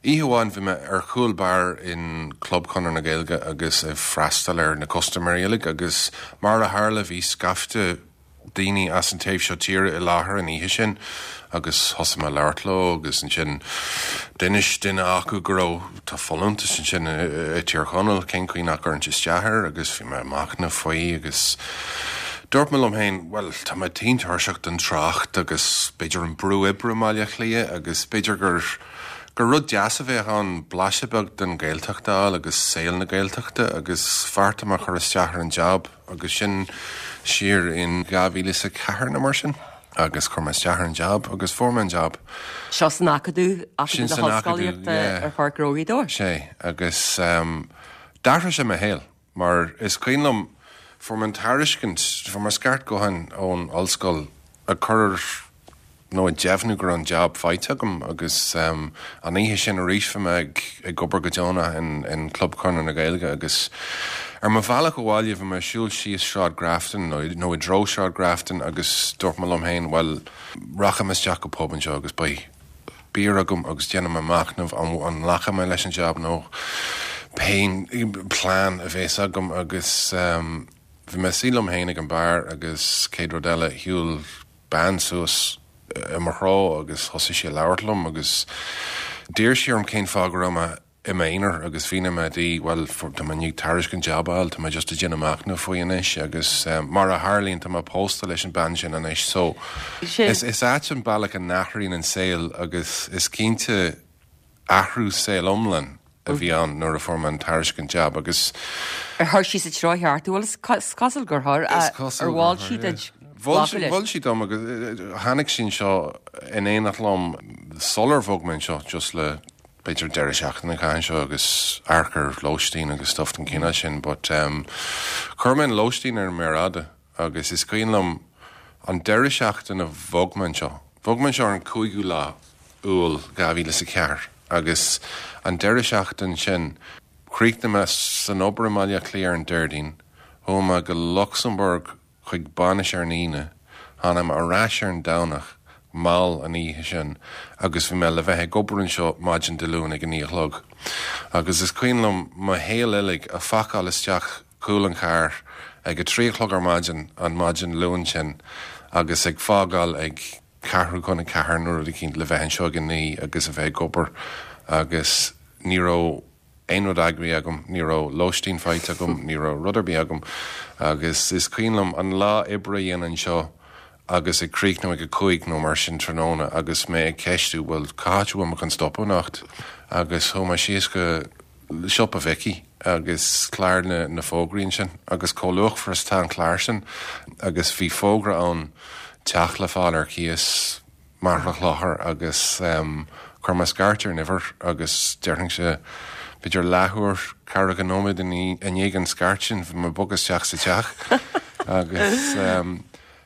oíche amháin bhí mé ar chúl beáir in Club Chonradh na Gaeilge agus ag freastal ar na custaiméirí uilig agus mar a tharla bhí scaifte daoine as an taobh seo tíre i láthair an oíche sin agus thosaigh mé ag labhairt leo agus ansin d'inis duine acu go raibh tá folúntas ansin i Tír Chonaill cén chaoi nach gcuirfinn isteach air agus bhí mé ag machnamh faoi agus dúirt mé liom féin bhuel tá mé tinn tuirseach den trácht agus b'fhéidir an brú oibre i mBaile Átha Cliath agus b'fhéidir gur gur rud deas a bheadh ann blaiseadh beag den Ghaeltacht a fháil agus saol na Gaeltachta agus bheartaigh mé chur isteach ar an jab agus sin siar in dhá mhíle is a ceathair nó mar sin agus chuir mé isteach ar an jab agus fuair mé an jab. Seo san Acadamh, Sin Acadamh na san Acadamh, hOllscolaíochta yeah. ar Pháirc Ghnó Ghaoth Dobhair. Sé agus um, d'athraigh sé mo shaol mar is cuimhin liom fuair mé an tairiscint fuair mé scairt gutháin ón ollscoil ag cur nó ag deimhniú go raibh an jab faighte agam agus um, an oíche sin arís bhí mé ag, ag obair go deonach in, in Club Chonradh na Gaeilge agus ar mo bhealach abhaile bhí mé ag siúl síos Sráid Grafton nó, nó i dtreo Sráid Grafton agus dúirt mé liom féin well rachaidh mé isteach go pub anseo agus beidh beer agam agus déanfaidh mé machnamh an, an nglacfaidh mé leis an jab nó pé plean a bheas agam agus um, bhí mé suí liom féin ag an bar agus céad rud eile shiúil bean suas i mo threo agus thosaigh sí ag labhairt liom agus d'iarr sí orm cén fáth go raibh mé i m'aonar agus mhínigh mé di well tá mé i ndiaidh tairiscint jab a fháil tá mé just ag déanamh machnamh faoi anois agus um, mar a tharlaíonn tá mé pósta leis an bean sin anois so Sin. is, is ait an bealach a n-athraíonn an saol agus is cinnte athrú saol iomlán a bhí ann nuair a fuair mé an tairiscint jab agus Ar chuir sí sa treo cheart bhfuil is cosúil gur chuir Is cosúil ar mhol gur sí chuir, duit Mhol sí- mhol sí dom agus eh, tháinig sí anseo in éineacht liom sular bhog mé anseo just le b'fhéidir deireadh seachtaine chain seo agus amharc ar lóistín agus stuff den chineál sin, but um, chuir mé an lóistín ar an méar fhada agus is cuimhin liom an deireadh seachtaine bhog mé anseo. Bhog mé anseo ar an cúigiú lá Iúil dhá mhíle is a ceathair agus an deireadh seachtain sin chríochnaigh mé san obair i mBaile Átha Cliath ar an Déardaoin, chuaigh mé go Lucsamburg chuig bainis ar an Aoine, tháinig mé ar ais ar an Domhnach mall an oíche sin agus bhí mé le bheith ag obair anseo maidin Dé Luain ag a naoi a chlog. Agus is cuimhin liom mo shaol uilig a phacáil isteach cúl an chairr ag a trí a chlog ar maidin an maidin Luain sin agus ag fágáil ag ceathrú chun a ceathair nó rud éicint le bheith anseo ag a naoi agus a bheith ag obair agus ní raibh aon rud eagraithe agam, ní raibh lóistín faighte agam, ní raibh rud ar bith agam agus is cuimhin liom an lá oibre a dhéanamh anseo agus ag críochnú ag a cúig nó mar sin tráthnóna agus mé ag ceistiú bhfuil cá háit a bhfuil mé chun stopadh anocht agus chuaigh mé síos go siopa Mhicí agus clár na, na bhfógraí sin agus chomh luachmhar is atá an clár sin agus bhí fógra ann teach le fáil ar cíos Machaire Chlochair agus um, chuir mé scairt ar an uimhir agus déarfainnse b'fhéidir leathuair ceathracha nóiméad i ndiaidh an scairt sin bhí mé ag bogadh isteach sa teach agus um,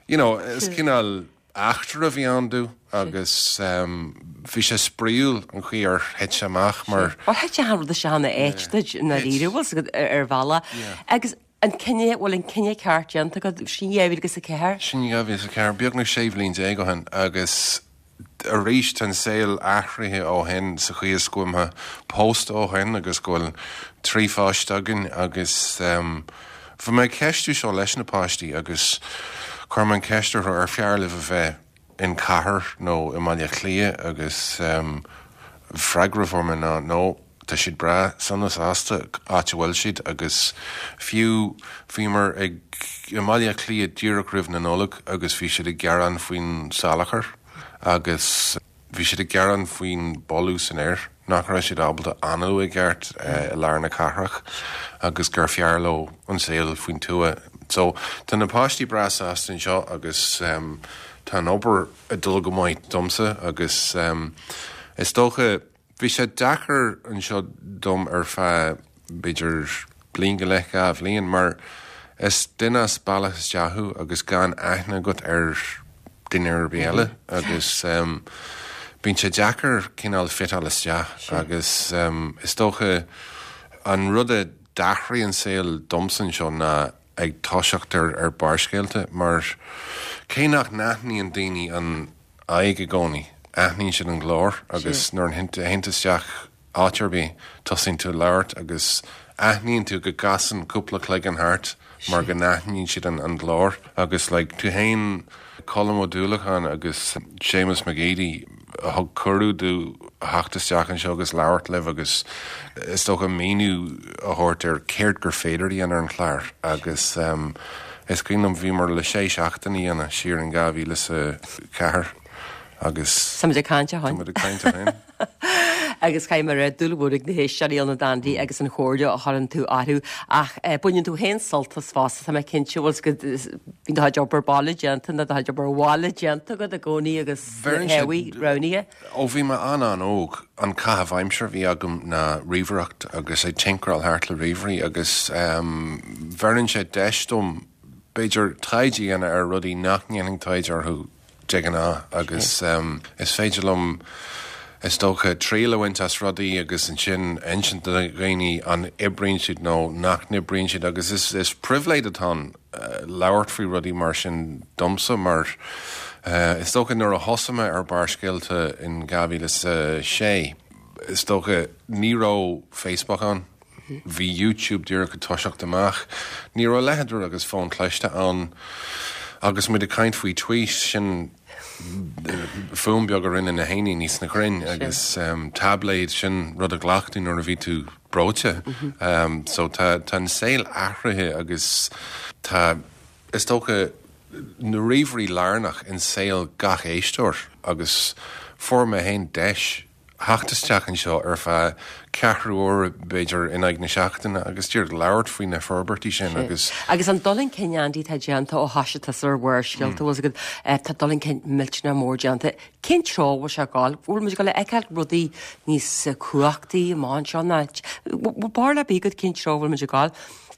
you know, is cineál eachtra a bhí ann dom agus um, bhí sé spraíúil an chaoi ar thit sé amach mar Ó thit an rud seo ina áit duit na ríre bhfuil ar bhealach agus an cinneadh bhfuil an cinneadh ceart déanta agat sin dhá mhíle agus a ceathair? Sin dhá mhíle is a ceathair beagnach sé bhliain déag ó shin agus arís an saol athraithe ó shin sa chaoi is go bhfuil mé pósta ó shin agus go bhfuil trí pháiste againn agus um, bhí mé ag ceistiú seo leis na páistí agus chuir mé an ceist orthu ar fearr libh a bheith in cathair nó i mBaile Átha Cliath agus um, freagra a fuair mé ná nó tá siad breá sona sásta áit a bhfuil siad agus fiú bhíomar ag i mBaile Átha Cliath díreach roimh na Nollag agus bhí siad ag gearán faoin salachar agus bhí siad ag gearán faoin boladh san aer nach raibh siad ábalta análú i gceart uh, i lár na cathrach agus gur fearr leo an saol faoin tuath. So tá na páistí breá sásta anseo agus um, tá an obair ag dul go maith domsa agus um, is dócha bhí sé deacair anseo dom ar feadh b'fhéidir bliain go leith dhá bhliain mar is duine as baile isteach thú agus gan aithne agat ar duine ar bith eile agus um, bíonn sé deacair cineál fiteáil isteach agus um, is dócha an rud a d'athraigh an saol domsa anseo ná ag toiseacht ar ar Barrscéalta mar cé nach n-aithníonn daoine an aghaidh i gcónaí aithníonn siad an glór agus nuair a théann isteach áit ar bith, tosaíonn tú ag labhairt agus aithníonn tú go gcasann cúpla cloigeann thart mar go n-aithníonn siad an an glór agus like tú fhéin, Colm Ó Dúlacháin agus Séamus Mac Géidigh a thug cuireadh domh theacht isteach anseo agus labhairt libh agus is dócha míniú a thabhairt ar céard gur féidir a dhéanamh ar an chlár agus um, is cuimhin liom bhíomar le sé seachtaine a dhéanamh siar in dhá mhíle is a ceathair agus Tá muid ag caint ó tá shin. muid ag caint ó shin. Agus caithfidh mé a rá dúil mhór ag na héisteoirí ionat Andy agus an chomhairle a chuireann tú orthu ach eh, baineann tú féin sult as fosta tá mé cinnte bhfuil go bíonn do chuid obair baile déanta nó do chuid obair bhaile déanta agat i gcónaí agus Bheireann sé- théamaí roghnaithe. Ó bhí mé an-an-óg an caitheamh aimsire a bhí agam ná ríomhaireacht agus ag tinkeráil thart le ríomhairí agus um, bheireann sé deis dom b'fhéidir taighde a dhéanamh ar rudaí nach ndéanfainn taighde orthu de ghnáth agus um, is féidir liom is dócha triail a bhaint as rudaí agus ansin insint do dhaoine an oibríonn siad nó nach n-oibríonn siad agus is, is pribhléid atá ann uh, labhairt faoi rudaí mar sin domsa mar uh, is dócha nuair a thosaigh mé ar Barrscéalta in dhá mhíle is a sé is dócha ní raibh Facebook ann. Bhí YouTube díreach ag toiseacht amach. Ní raibh a leithéid agus fón cliste ann agus muid ag caint faoi tweet sin fuaim beag a rinne na héiníní sna crainn agus um, tabléid sin rud a ghlac tú nuair a bhí tú breoite. Um, so tá tá an saol athraithe agus tá is dócha na ríomhairí lárnach in saol gach éisteoir agus fuair mé féin deis theacht isteach anseo ar feadh ceathrú uair b'fhéidir in aghaidh na seachtaine agus díreach labhairt faoi na forbairtí sin agus Agus an dul chun cinn Andy tá déanta ó thosaigh tusa ar Bharrscéalta mm. agat eh, tá dul chun cinn millteanach mór déanta. Cén treo bhfuil sé ag gabháil, bhfuil muid ag feiceáil rudaí níos eh, cumhachtaí amach anseo ná barúil ar bith agat cén treo bhfuil muid ag gabháil.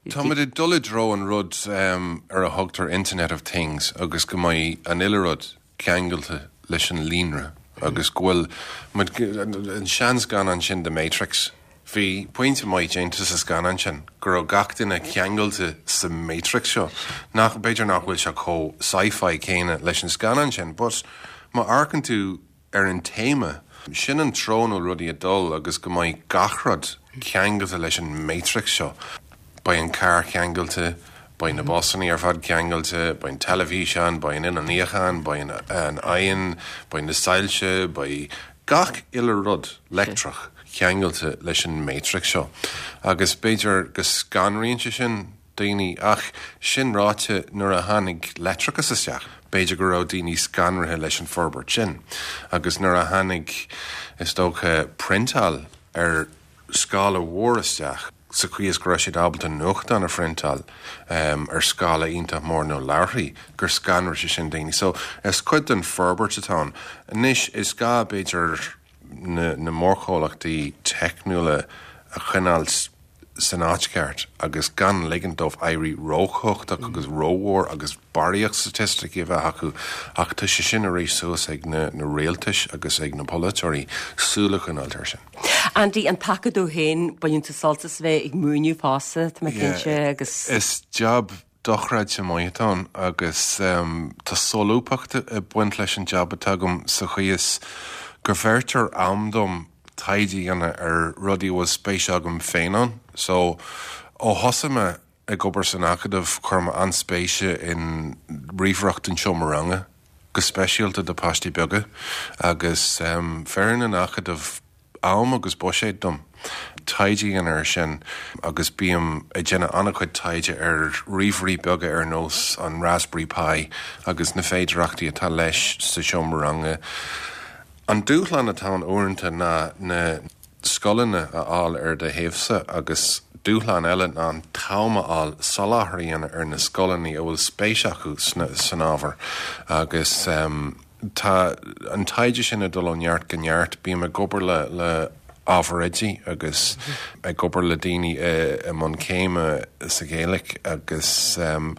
Tá muid ag dul i dtreo an rud um, ar a thugtar Internet of Things agus go mbeidh an uile rud ceangailte leis an líonra agus go bhfuil an seanscannán sin The Matrix. Bhí pointe maith déanta sa scannán sin go raibh gach duine ceangailte sa Matrix seo. Nach b'fhéidir nach bhfuil sé chomh sci-fi céanna leis an scannán sin, but má amharcann tú ar an téama, sin an treo a bhfuil rudaí ag dul agus go mbeidh gach rud ceangailte leis an Matrix seo. Beidh an carr ceangailte, beidh na busanna ar fad ceangailte, beidh an teilifíseán, beidh an inneall níocháin, beidh an oigheann, beidh na soilse, beidh gach uile rud leictreach ceangailte leis an Matrix seo. Agus b'fhéidir go scanraíonn sé sin daoine ach sin ráite nuair a tháinig leictreachas isteach. B'fhéidir go raibh daoine scanraithe leis an forbairt sin. Agus nuair a tháinig is dócha priontáil ar scála mhór isteach, sa chaoi is go raibh siad ábalta nuachtán a phriontáil um, ar scála iontach mór nó leabharthaí gur scanraigh sé sin daoine. So is cuid den forbairt atá ann. Anois is gá b'fhéidir na, na mórchomhlachtaí teicniúla a choinneáil san áit cheart agus gan ligean dóibh éirí róchumhachtach agus rómhór agus barraíocht staitisticí a bheith acu ach tá sé sin arís suas ag na, na rialtais agus ag na polaiteoirí súil a choinneáil air sin. Andy an tAcadamh féin baineann tú sult as bheith ag múineadh fosta tá mé cinnte agus Is job dochreidte maith atá ann agus um, tá solúbthacht ag baint leis an job atá agam sa chaoi is go bhfeictear am dom taighde a dhéanamh ar rudaí bhfuil spéis agam féin ann. So ó thosaigh mé ag obair san Acadamh chuir mé an-spéis in ríomhaireacht an seomra ranga, go speisialta do páistí beaga, agus um, bheireann an Acadamh am agus buiséad dom. Taighde a dhéanamh air sin agus bím ag déanamh an-chuid taighde ar ríomhairí beaga ar nós an Raspberry Pi agus na féidearthachtaí atá leis sa seomra ranga. An dúshlán atá ann uaireanta ná na scoileanna a fháil ar do thaobhsa agus dúshlán eile ná an t-am a fháil soláthar a dhéanamh ar na scoileanna a bhfuil spéis acu san ábhar agus um, tá an taighde sin ag dul ó neart go neart bím ag obair le le ábhar oidí agus ag obair le daoine i mbun céime sa Ghaeilge agus um,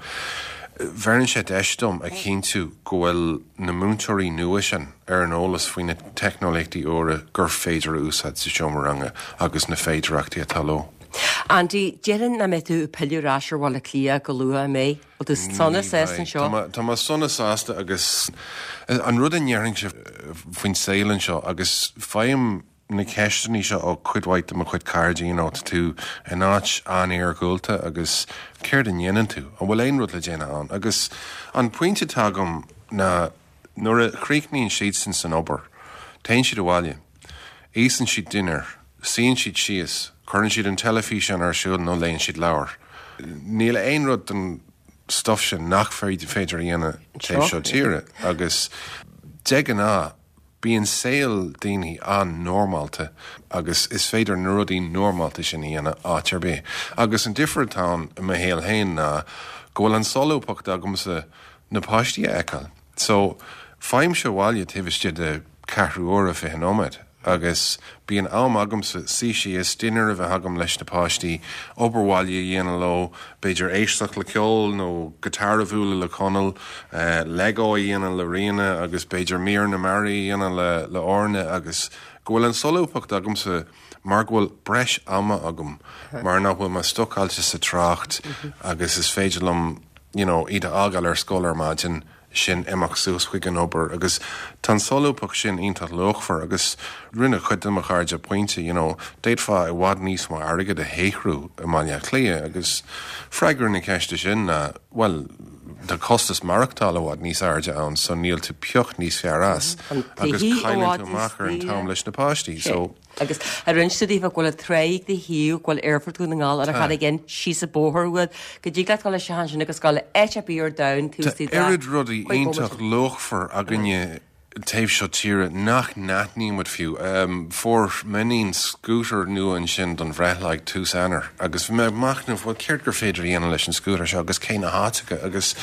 bheireann sé deis dom a chinntiú go bhfuil na múinteoirí nua sin ar an eolas faoi na teicneolaíochtaí úra gur féidir a úsáid sa seomra ranga agus na féidearthachtaí atá leo. Andy, déarfainn nach mbeidh tú ag pilleadh ar ais ar Bhaile Átha Cliath go luath an mbeidh? Bhfuil tú sona sásta anseo? Tá mé sona sásta agus an rud a ndéarfainnse faoin saol anseo agus faighim na ceisteanna seo ó cuid mhaith de mo chuid cairde, you know, tá tú in áit an-iargúlta agus céard a dhéanann tú, an bhfuil aon rud le déanamh ann? Agus an pointe atá agam ná nuair a chríochnaíonn siadsan san obair, téann siad abhaile, íosann siad dinnéar, suíonn siad síos, cuireann siad an teilifíseán ar siúl nó léann siad leabhar. Níl aon rud den stuff sin nach féidir féidir a dhéanamh taobh seo tíre agus de ghnáth bíonn saol daoine an-normálta agus is féidir na rudaí normálta sin a dhéanamh áit ar bith. Agus an difear atá ann i mo shaol féin ná go bhfuil an solúbthacht agamsa na páistí a fheiceáil. So faighimse abhaile taobh istigh de ceathrú uaire fiche nóiméad agus bíonn am agamsa suí síos, dinnéar a bheith agam leis na páistí, obair bhaile a dhéanamh leo, b'fhéidir éisteacht le ceol nó guitar a bhualadh le Conall, Lego a dhéanamh le Ríona agus b'fhéidir mír na mearaí a dhéanamh le le Orna agus go bhfuil an solúbthacht agamsa mar go bhfuil breis ama agam mar nach bhfuil mé stucáilte sa trácht agus is féidir liom you know, iad a fhágáil ar scoil ar maidin sin imeacht suas chuig an obair agus tá an solúbthacht sin iontach luachmhar agus rinne cuid de mo chairde pointe, you know, d'fhéadfá i bhfad níos mó airgead a shaothrú i mBaile Átha Cliath agus freagra na ceiste sin ná well tá costas maireachtála i bhfad níos airde ann so níl tú pioc níos fearr as agus cailleann tú amach ar an t-am leis na páistí so Agus ar rinne tú daofa go bhfuil tráigh de thaobh go bhfuil aerfort Dhún na nGall ar a charraig síos an bóthar uait go dtig leat dul isteach ansin agus dul áit ar bith ar domhan Tá oiread rudaí iontach luachmhar againne taobh seo tíre nach n-aithníonn muid fiú. Fuair m'iníon scooter nua ansin don bhreithlá ag tús Eanáir agus bhí mé ag machnamh bhuel céard gur féidir a dhéanamh leis an scooter seo agus cé na háiteacha agus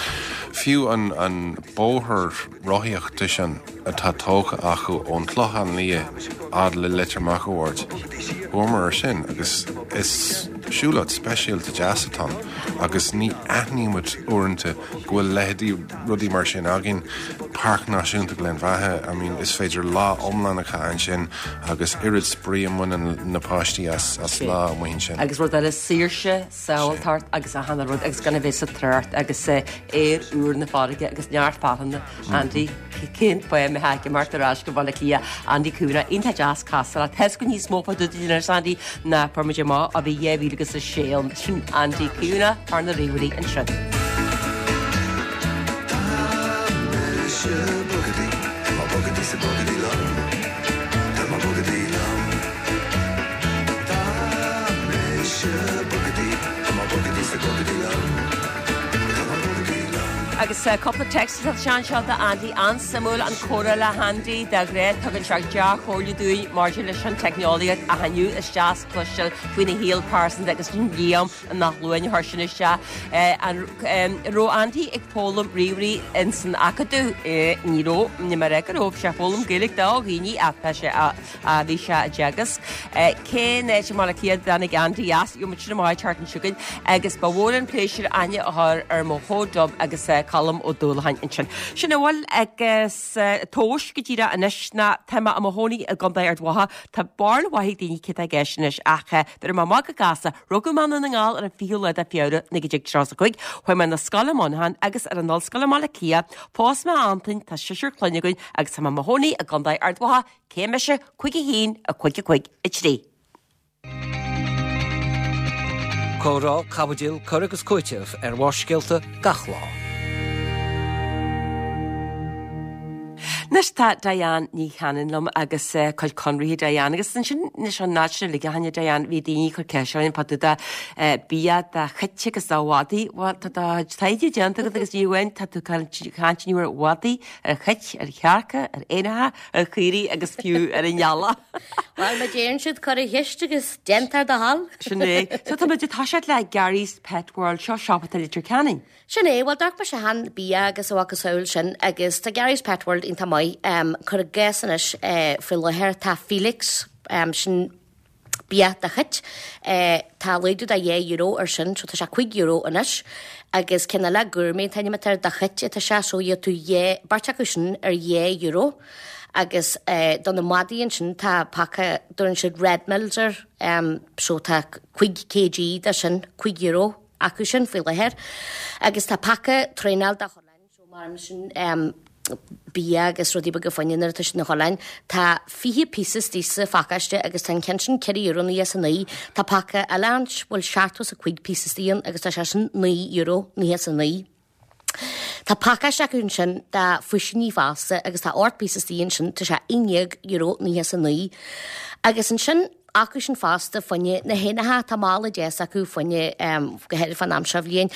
fiú an an bóthar rothaíochta sin atá tógtha acu ón Chlochán Liath fhad le Leitir Meachair. Chuamar ar sin agus is siúlóid speisialta deas atá ann agus ní aithníonn muid uaireanta go bhfuil leithéidí rudaí mar sin againn. Páirc Náisiúnta Ghleann Bheatha, I mean, is féidir lá iomlán a chaitheamh ansin agus oiread spraoi a mbaineann na páistí as as lá amuigh ansin. Agus rud eile saoirse, sábháilteacht agus achan rud agus gan a bheith sa trácht agus aer úr na farraige agus neart fearthainne. Andy, cén fáth a mbeifeá ag imeacht ar ais go Baile Átha Cliath? Andy Kavanagh, iontach deas casadh leat. Tá níos mó fá dtaobh de anois, Andy, ná fuair muid amach ó bhí dhá mhíle agus a sé ann. Sin Andy Kavanagh, fear na ríomhairí ansin. Tá mise bogadaí, tá mé bogadaí sa bogadaí liom. Tá mé bogadaí liom. Tá mise bogadaí, tá mé bogadaí sa bogadaí liom. Tá mé bogadaí liom. Agus cúpla text atá anseo do Andy an-suimiúil an comhrá le hAndy de ghnáth tugann sé dea-chomhairle dúinn maidir leis an teicneolaíocht a inniu is deas cloisteáil faoina shaol pearsanta agus Liam nach luain thar sin isteach. An raibh Andy ag foghlaim ríomhairí in san acadamh ní raibh ní mar go raibh sé foghlaim Gaeilge do dhaoine atá sé a bhí sé ag teagasc. Cén áit i mBaile Átha Cliath a dtáinig Andy as muid sin amach thart an siúgain agus ba mhór an pléisiúr aithne a chur ar mo chomh agus Colm Ó Dúlacháin ansin. Sin a bhfuil agus tomhas go díreach anois ná tá mé i mo chónaí i gContae Ard Mhacha Tá barúil mhaith ag daoine cé tá i gceist anois ach b'fhéidir má go gasta rugadh mé i nDún na nGall ar an fichiú lá de Feabhra naoi déag tríocha a cúig, chuaigh mé na scoile Monaghan agus ar an ollscoil i mBaile Átha Cliath, phós mé Antain tá seisear clainne againn agus tá mé i mo chónaí i gContae Ard Mhacha cé mise cúig a haon a cúig a cúig a trí. Comhrá, caibidil, cur agus cúiteamh ar Bharrscéalta gach lá. Anois tá Diane Ní Chanainn liom agus uh, cuid conraithe Diane agus ansin anois an náid sin uilig a tháinig Diane bhí daoine ag cur ceist orainn fá dtaobh de uh, bia do chait agus do mhadaí Bhuel tá do taighde déanta agat agus ní amháin tá tú caint inniu ar mhadaí ar chait ar chearca ar éanacha ar chaoirigh agus fiú ar an eala. Well má deireann siad cuir an cheist agus déantar do thoil. Sin é. So tá muid ag toiseacht le Gary's Pet World seo siopa i Leitir Ceanainn. Sin é, well d'amharc mise cheana bia agus a mhacasamhail sin agus tá Gary's Pet World iontach maith um, cuir i gcás anois uh, faoi láthair tá Felix um, sin bia do chait uh, tá laghdú de dhá euro ar sin, so tá sé cúig euro anois agus ceann eile gourmet an t-ainm atá air do chait atá sé so gheobhaidh tú dhá beirt acu sin ar dhá euro agus uh, do na madaí ansin tá paca dtugann siad Red Mills air um, so tá cúig kg de sin cúig euro acu sin faoi láthair agus tá paca traenáil do chorrláin so mar sin um, bia agus rudaí beaga fá choinne nuair atá siad ina chodladh. Tá fiche píosa istigh sa phacáiste agus tá an ceann sin ceithre euro naocha is a naoi. Tá paca eile ann bhfuil seachtó is a cúig píosa istigh ann agus tá sé sin naoi euro naocha is a naoi. Tá pacáiste acu ansin de phuisíní fosta agus tá ocht bpíosa istigh ansin, tá sé aon déag euro naocha is a naoi. Agus ansin acu sin fosta fá choinne na héanacha, tá mála deas acu fá choinne, go háirithe fán am seo bhliain,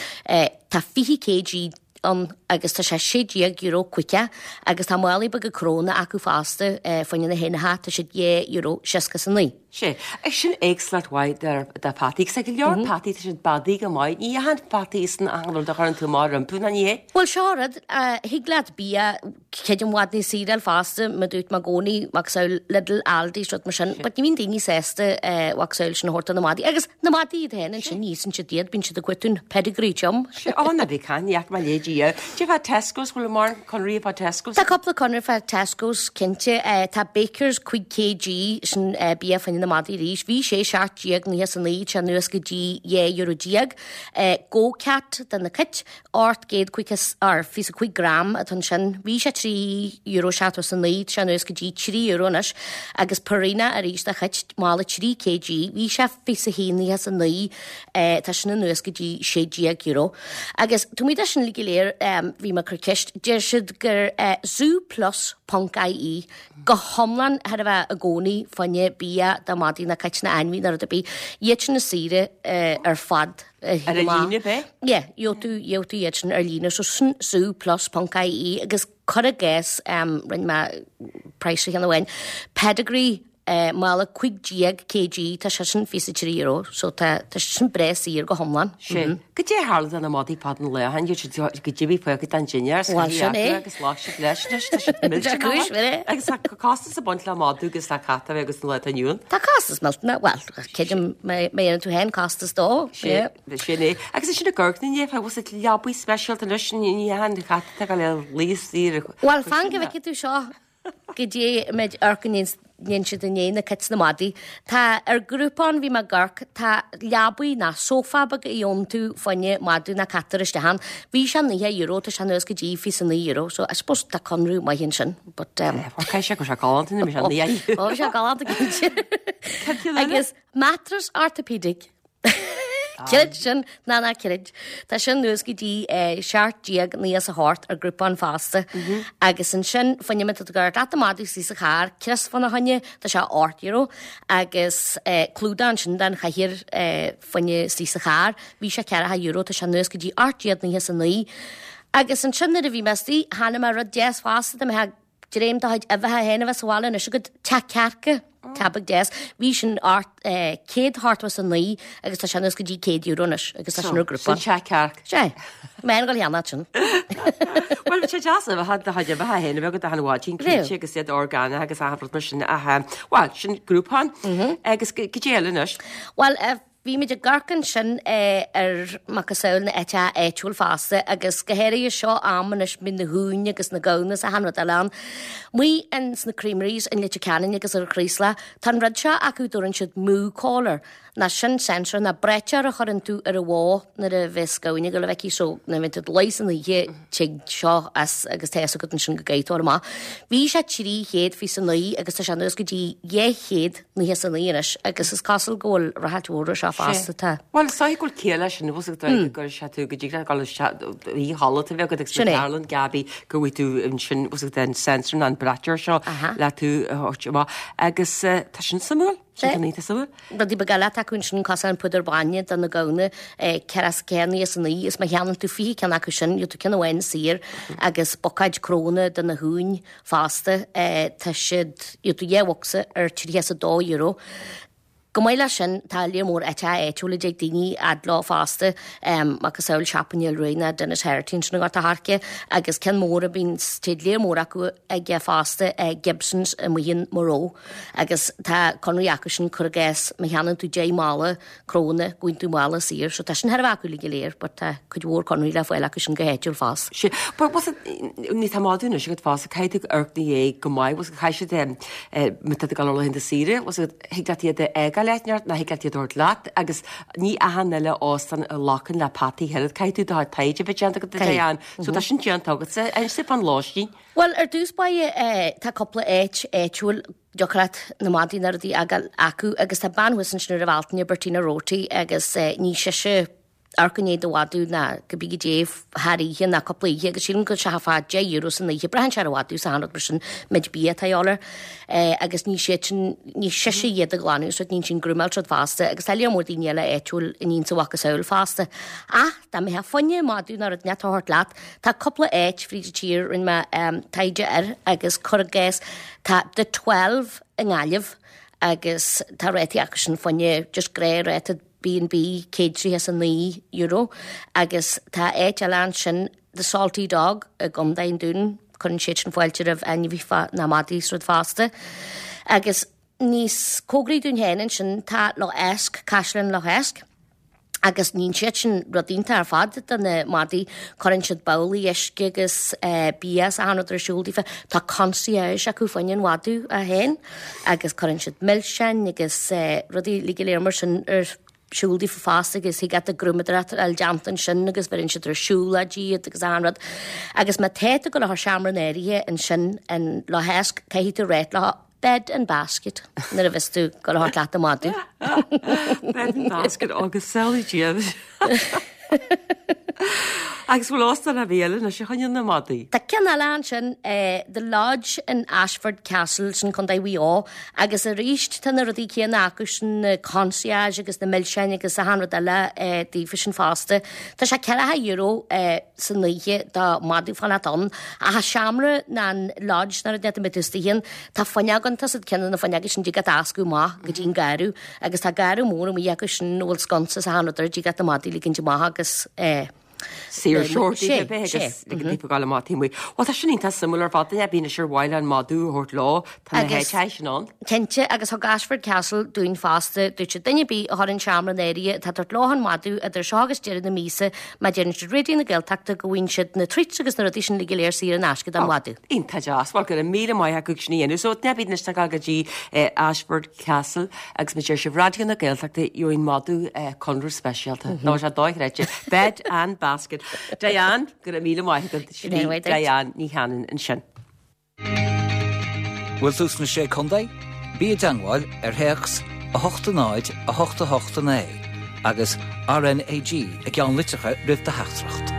tá fiche kg ann agus tá sé sé déag euro caoga agus tá málaí beaga crónna acu fosta fá choinne na héanacha, tá siad dhá euro seasca is a naoi. Sé, sin éagsúlacht mhaith de pheataí, agus go leor peataí tá siad beadaí go maith, ní dheachain peataí san achan rud a chuireann tú amach rompu, ná ní hea? Bhuel seo an rud, thig leat bia cuid i bhfad níos saoire a fháil fosta, mar dúirt mé i gcónaí, macasamhail Lidl, Aldi, rud mar sin, but ní bhíonn daoine sásta macasamhail sin a thabhairt do na madaí, agus na madaí iad féin ansin ní íosann siad iad, bíonn siad ag cuartú an pedigree chum. Sé, ó ná bí caint, ní fhaca mé léi Dia. Cad é fá Tesco's, bhfuil mórán conraí fá Tesco's? Tá cúpla conradh fá Tesco's, cinnte. Tá Bakers cúig kg, sin bia fá choinne na madaí arís. Bhí sé seacht déag naocha is a naoi, tá sé anuas go dtí dhá euro déag. Go Cat do na cait, ocht gcéad caoga is, or fiche is a cúig gram atá ansin. Bhí sé trí euro seachtó is a naoi, tá sé anuas go dtí trí euro anois. Agus Purina arís do chait, mála trí kg, bhí sé fiche is a haon naocha is a naoi, tá sin anuas go dtí sé déag euro. Agus tá muid sin uilig go léir, bhí mé ag cur ceist, deir siad gur zooplus ponc ie go hiomlán thar a bheith i gcónaí fá choinne bia do mhadaí nó cait nó ainmhí nó rud ar bith, iad sin is saoire ar fad. Ar líne ab ea? Yeah, gheobhaidh tú, gheobhaidh tú iad sin ar líne, so sin zooplus ponc ie agus cuir i gcás, rinne mé praghas ar cheann amháin, Pedigree mála cúig déag kg, tá sé sin fiche is a trí euro, so tá tá sé sin breá saor go hiomlán. Sin. Goidé a tharla do na madaí fad an lae ó shin, iad siad go dtí faocha den dinnéar, Bhuel, sin é. agus lá siad leis anois, tá siad millte Tá cúis mhór é. Agus tá costas ag baint le madadh agus le cat a bheith agus an lá atá inniu ann. Tá costas millteanach, bhuel, creidim má dhéanann tú féin costas dó. Sin, sin é. Agus is sin i gCorcaigh inné, bhfuil siad leabaí speisialta anois, ní dheachain an cat atá ag dul a luí saor. Bhuel, fan go bhfeicfidh tú seo goidé a mbeidh amharc go ndéanann siad i ndiaidh na cait 's na madaí. Tá ar Groupon bhí mé ag amharc, tá leabaí ná sófá beag a gheobhann tú fá choinne madadh ná cat a chur isteach ann. Bhí sé naocha euro, tá sé anuas go dtí fiche is a naoi euro, so I suppose tá conradh maith ansin, but um. Caithfidh sé go raibh sé galánta nuair a bhí sé naocha euro. Ó, bhí sé galánta cinnte. Cad cén eile? Agus mattress orthopedic. Creid sin ná ná creid. Tá sin anuas go dtí seacht déag naocha is a hocht ar Groupon fosta. Agus ansin fá choinne má tá tú ag amharc leat do mhadadh istigh sa charr, crios fána choinne, tá sé ocht euro. Agus clúdach ansin don chathaoir fá choinne istigh sa charr, bhí sé ceathracha euro, tá sé anuas go dtí ocht déag naocha is a naoi. Agus ansin nuair a bhí mé istigh, chonaic mé rud deas fosta, dá mbeifeá dréim do chuid uibheacha féin a bheith sa bhaile anois agat, teach cearca, teach beag deas. Bhí sin ort céad ochtó is a naoi agus tá sé anuas go dtí céad euro anois agus tá sin ar Groupon. Sin teach cearc. Sea. Mé ag dul a cheannach sin. Bhuel, bhí sé deas uibheacha do chuid uibheacha féin a bheith agat achan mhaidin, cinnte, agus iad orgánach agus achan rud mar sin ach, bhuel, sin Groupon. Agus goidé eile anois? Bhuel, Bhí muid ag amharc ansin ar macasamhail na áite áitiúil fosta agus go háirithe seo am anois mbíonn na huain agus na gamhna is achan rud eile ann. Amuigh ins na creameries in Leitir Ceanainn agus ar an Chraoslach tá an rud seo acu dtabharann siad moo collar ná sin sensor ná braiteoir a chuireann tú ar an bhó nuair a bheas gamhain ag dul a bheith aici so nuair a bhíonn tú ag luí san oíche tig seo as agus tá fhios agat ansin go gcaithfidh tú a dhul amach. Bhí sé trí chéad fiche is a naoi agus tá sé anuas go dtí dhá chéad naocha is a naoi anois agus is cosúil go bhfuil ráchairt mhór ar seo fosta. Tá. Bhuel, is dóigh go bhfuil ciall leis sin, bhfuil fhios agat go gcuirfidh sé tú go dtig leat dul isteach i halla a bheith agat agus Sin é. ceardlann Gabi go bhfaighidh tú ansin, bhfuil fhios agat an sensor nó an braiteoir seo le tú a thabhairt amach agus tá sin suimiúil, sin Sea. go iontach suimiúil. Rudaí beaga eile atá acu ansin cosúil an púdar bainne do na gamhna, ceithre is ceathair naocha is a naoi is má cheannaíonn tú fiche ceann acu sin, gheobhaidh tú ceann amháin saor agus bucáid crónna do na huain fosta. Tá siad, gheobhaidh tú dhá bhocsa ar tríocha is a dó euro. Chomh maith leis sin, tá lear mór áiteacha áitiúla a dtig daoine fhad leo fosta, macasamhail Siopa Néill Ruaidh ná Denis Herity ansin i nGort a' Choirce, agus ceann mór a bhíonn, téid lear mór acu aige fosta, Gibsons amuigh in Murroe. Agus tá conradh acu sin, cuir i gcás, má cheannaíonn tú deich mála crónna, go bhfaigheann tú mála saor. So tá sin thar a bheith acu uilig go léir, but tá cuid mhór conraí le fáil acu sin go háitiúil fosta. Sea, but was it, ní tá madadh anois agat fosta, caithfidh tú amharc ina dhiaidh go maith, was it, caithfidh siad, má tá tú ag dul ar laethanta saoire, was it, thig leat iad a fhágáil bhookáil áit nó thig leat iad a thabhairt leat agus ní achan uile óstán a ghlacann le peataí oiread. Caithfidh tú do chuid taighde a bheith déanta agat a Diane. So tá sin déanta agatsa. Inis dúinn fán lóistín. Bhuel, ar dtús báire tá cúpla áit áitiúil dtiocfadh leat na madaí na rudaí a fhágáil acu agus tá bean thuas ansin ar an Bhealtaine, Bertina Roti, agus ní sise amharc i ndiaidh do mhadadh ná cibé goidé thar oíche ná cúpla oíche agus sílim go bhfuil sé fá deich euro san oíche. Braitheann sé ar an mhadadh is achan rud mar sin, méid bia atá a dhíobháil air agus ní siad sin, ní sise iad a ghlanadh is rud, níonn sí an grúmáil is rud fosta agus tá léar mór daoine eile áitiúil a níonn a mhacasamhail fosta. Ach dá mbeifeá fá choinne madadh ná rud inteacht a thabhairt leat, tá cúpla áit fríd an tír, rinne mé taighde air agus cuir i gcás tá The Twelve i nGaillimh agus tá rátaí acu sin fá choinne just gnáthráta B and B céad tríocha is a naoi euro agus tá áit eile ansin The Salty Dog i gContae an Dúin, cuireann siad sin fáilte roimh ainmhithe ná madaí is rud fosta. Agus níos cóngaraí dúinn féin ansin tá Loch Eisc, Caisleán Loch Eisc. Agus níonn siad sin rud iontach ar fad do na madaí, cuireann siad babhlaí uisce agus bia is achan rud ar siúl daofa. Tá concierge acu fá choinne an mhadadh é féin agus cuireann siad milseáin agus rudaí uilig go léir mar sin ar siúl daofa fosta agus thig leat an ghrúmadóireacht a fháil déanta ansin agus bheireann siad ar siúl iad agus achan rud. Agus má tá tú ag dul a chur seomra in áirithe ansin in Loch Eisc, caithfidh tú ráit leo bed and basket nuair a bheas tú ag dul a thabhairt leat an madadh. Bed and basket agus samhlaigh iad. Agus bhfuil óstán ar bith eile anois a choinneoidh na madaí? Tá ceann eile ansin, The Lodge in Ashford Castle, sin Contae Mhaigh Eo, agus arís tá na rudaí céanna acu sin, na concierge agus na milseáin agus achan rud eile daofa sin fosta. Tá sé ceathracha euro san oíche do mhadadh fanacht ann, ach an seomra ná an lodge ná rud inteacht a mbeidh tú istigh ann, tá fuinneog ann, tá siad ceann de na fuinneoga sin dtig leat a fhoscadh amach go dtí an garradh agus tá garradh mór amuigh acu sin a bhfuil sconsa is achan rud air, dtig leat na madaí a ligint amach agus eh. Saor daofa bheith agus ligean daofa gabháil amach taobh amuigh. Bhuel tá sin iontach suimiúil ar fad, duine ar bith anois ar mhaith leo an madadh a thabhairt leo, tá na háiteacha sin ann. Cinnte, agus thug Ashford Castle dúinn fosta, dúirt siad duine ar bith a chuireann seomra in áirithe atá ag tabhairt leo an madadh idir seo agus deireadh na míosa, má deireann siad Raidió na Gaeltachta go bhfaigheann siad na treats agus na rudaí sin uilig go léir saor in aisce don mhadadh. Iontach deas. Bhuel go raibh míle maith acu sin a dhéanamh. So duine ar bith anois atá ag gabháil go dtí Ashford Castle agus má deir sibh Raidió na Gaeltachta gheobhaidh an madadh conradh speisialta. Tá sé dochreidte. Bed and basket. Diane, go raibh míle maith agat. Sin í Diane Ní Chanainn ansin. Bhfuil tú sna Sé Contae? Bí i dteangmháil ar théacs a hocht a náid a hocht a hocht a naoi agus RNAG i gceannlitreacha roimh do theachtaireacht.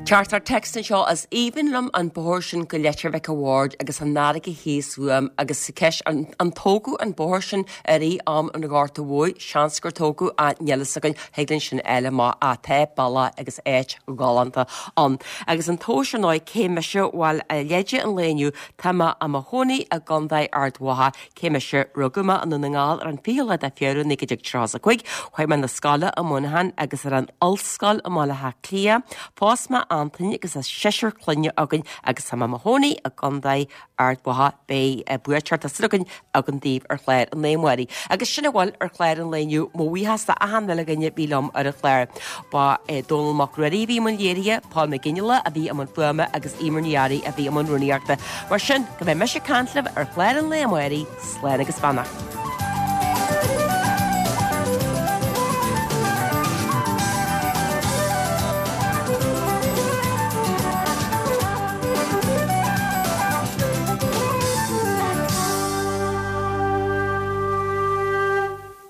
Teachtaireacht téacs anseo Is aoibhinn liom an bóthar sin go Leitir Mhic a' Bhaird agus an fharraige thíos uaim agus ceist an an tógadh an bóthar sin i rith am an Ghorta Mhóir? Seans gur tógadh ach níl fhios againn, thig linn sin a fháil amach ach tá bealach agus áit ghalánta ann. Agus an tomhas ar ndóigh cé mise bhuel a leide an lae inniu tá mé i mo chónaí i gContae Ard Mhacha Cé mise? Rugadh mé i nDún na nGall ar an fichiú lá de Feabhra naoi déag tríocha is a cúig. Chuaigh mé na scoile i Muineachán agus ar an ollscoil i mBaile Átha Cliath. Phós mé Antaine agus tá seisear clainne againn agus tá mé i mo chónaí i gContae Ard Mhacha. Beidh buaiteoir tá súil againn againn daoibh ar chlár an lae amárach. Agus sin a bhfuil ar chlár an lae inniu. Mo bhuíochas do achan uile dhuine a bhí liom ar an chlár. Ba é Dónall Mac Ruairí a bhí i mbun léirithe, Paul McGinley a bhí i mbun fuaime agus Eimear Ní Fhearraigh a bhí i mbun rúnaíochta. Mar sin, go mbeidh mise ag caint libh ar chlár an lae amárach, slán agus beannacht.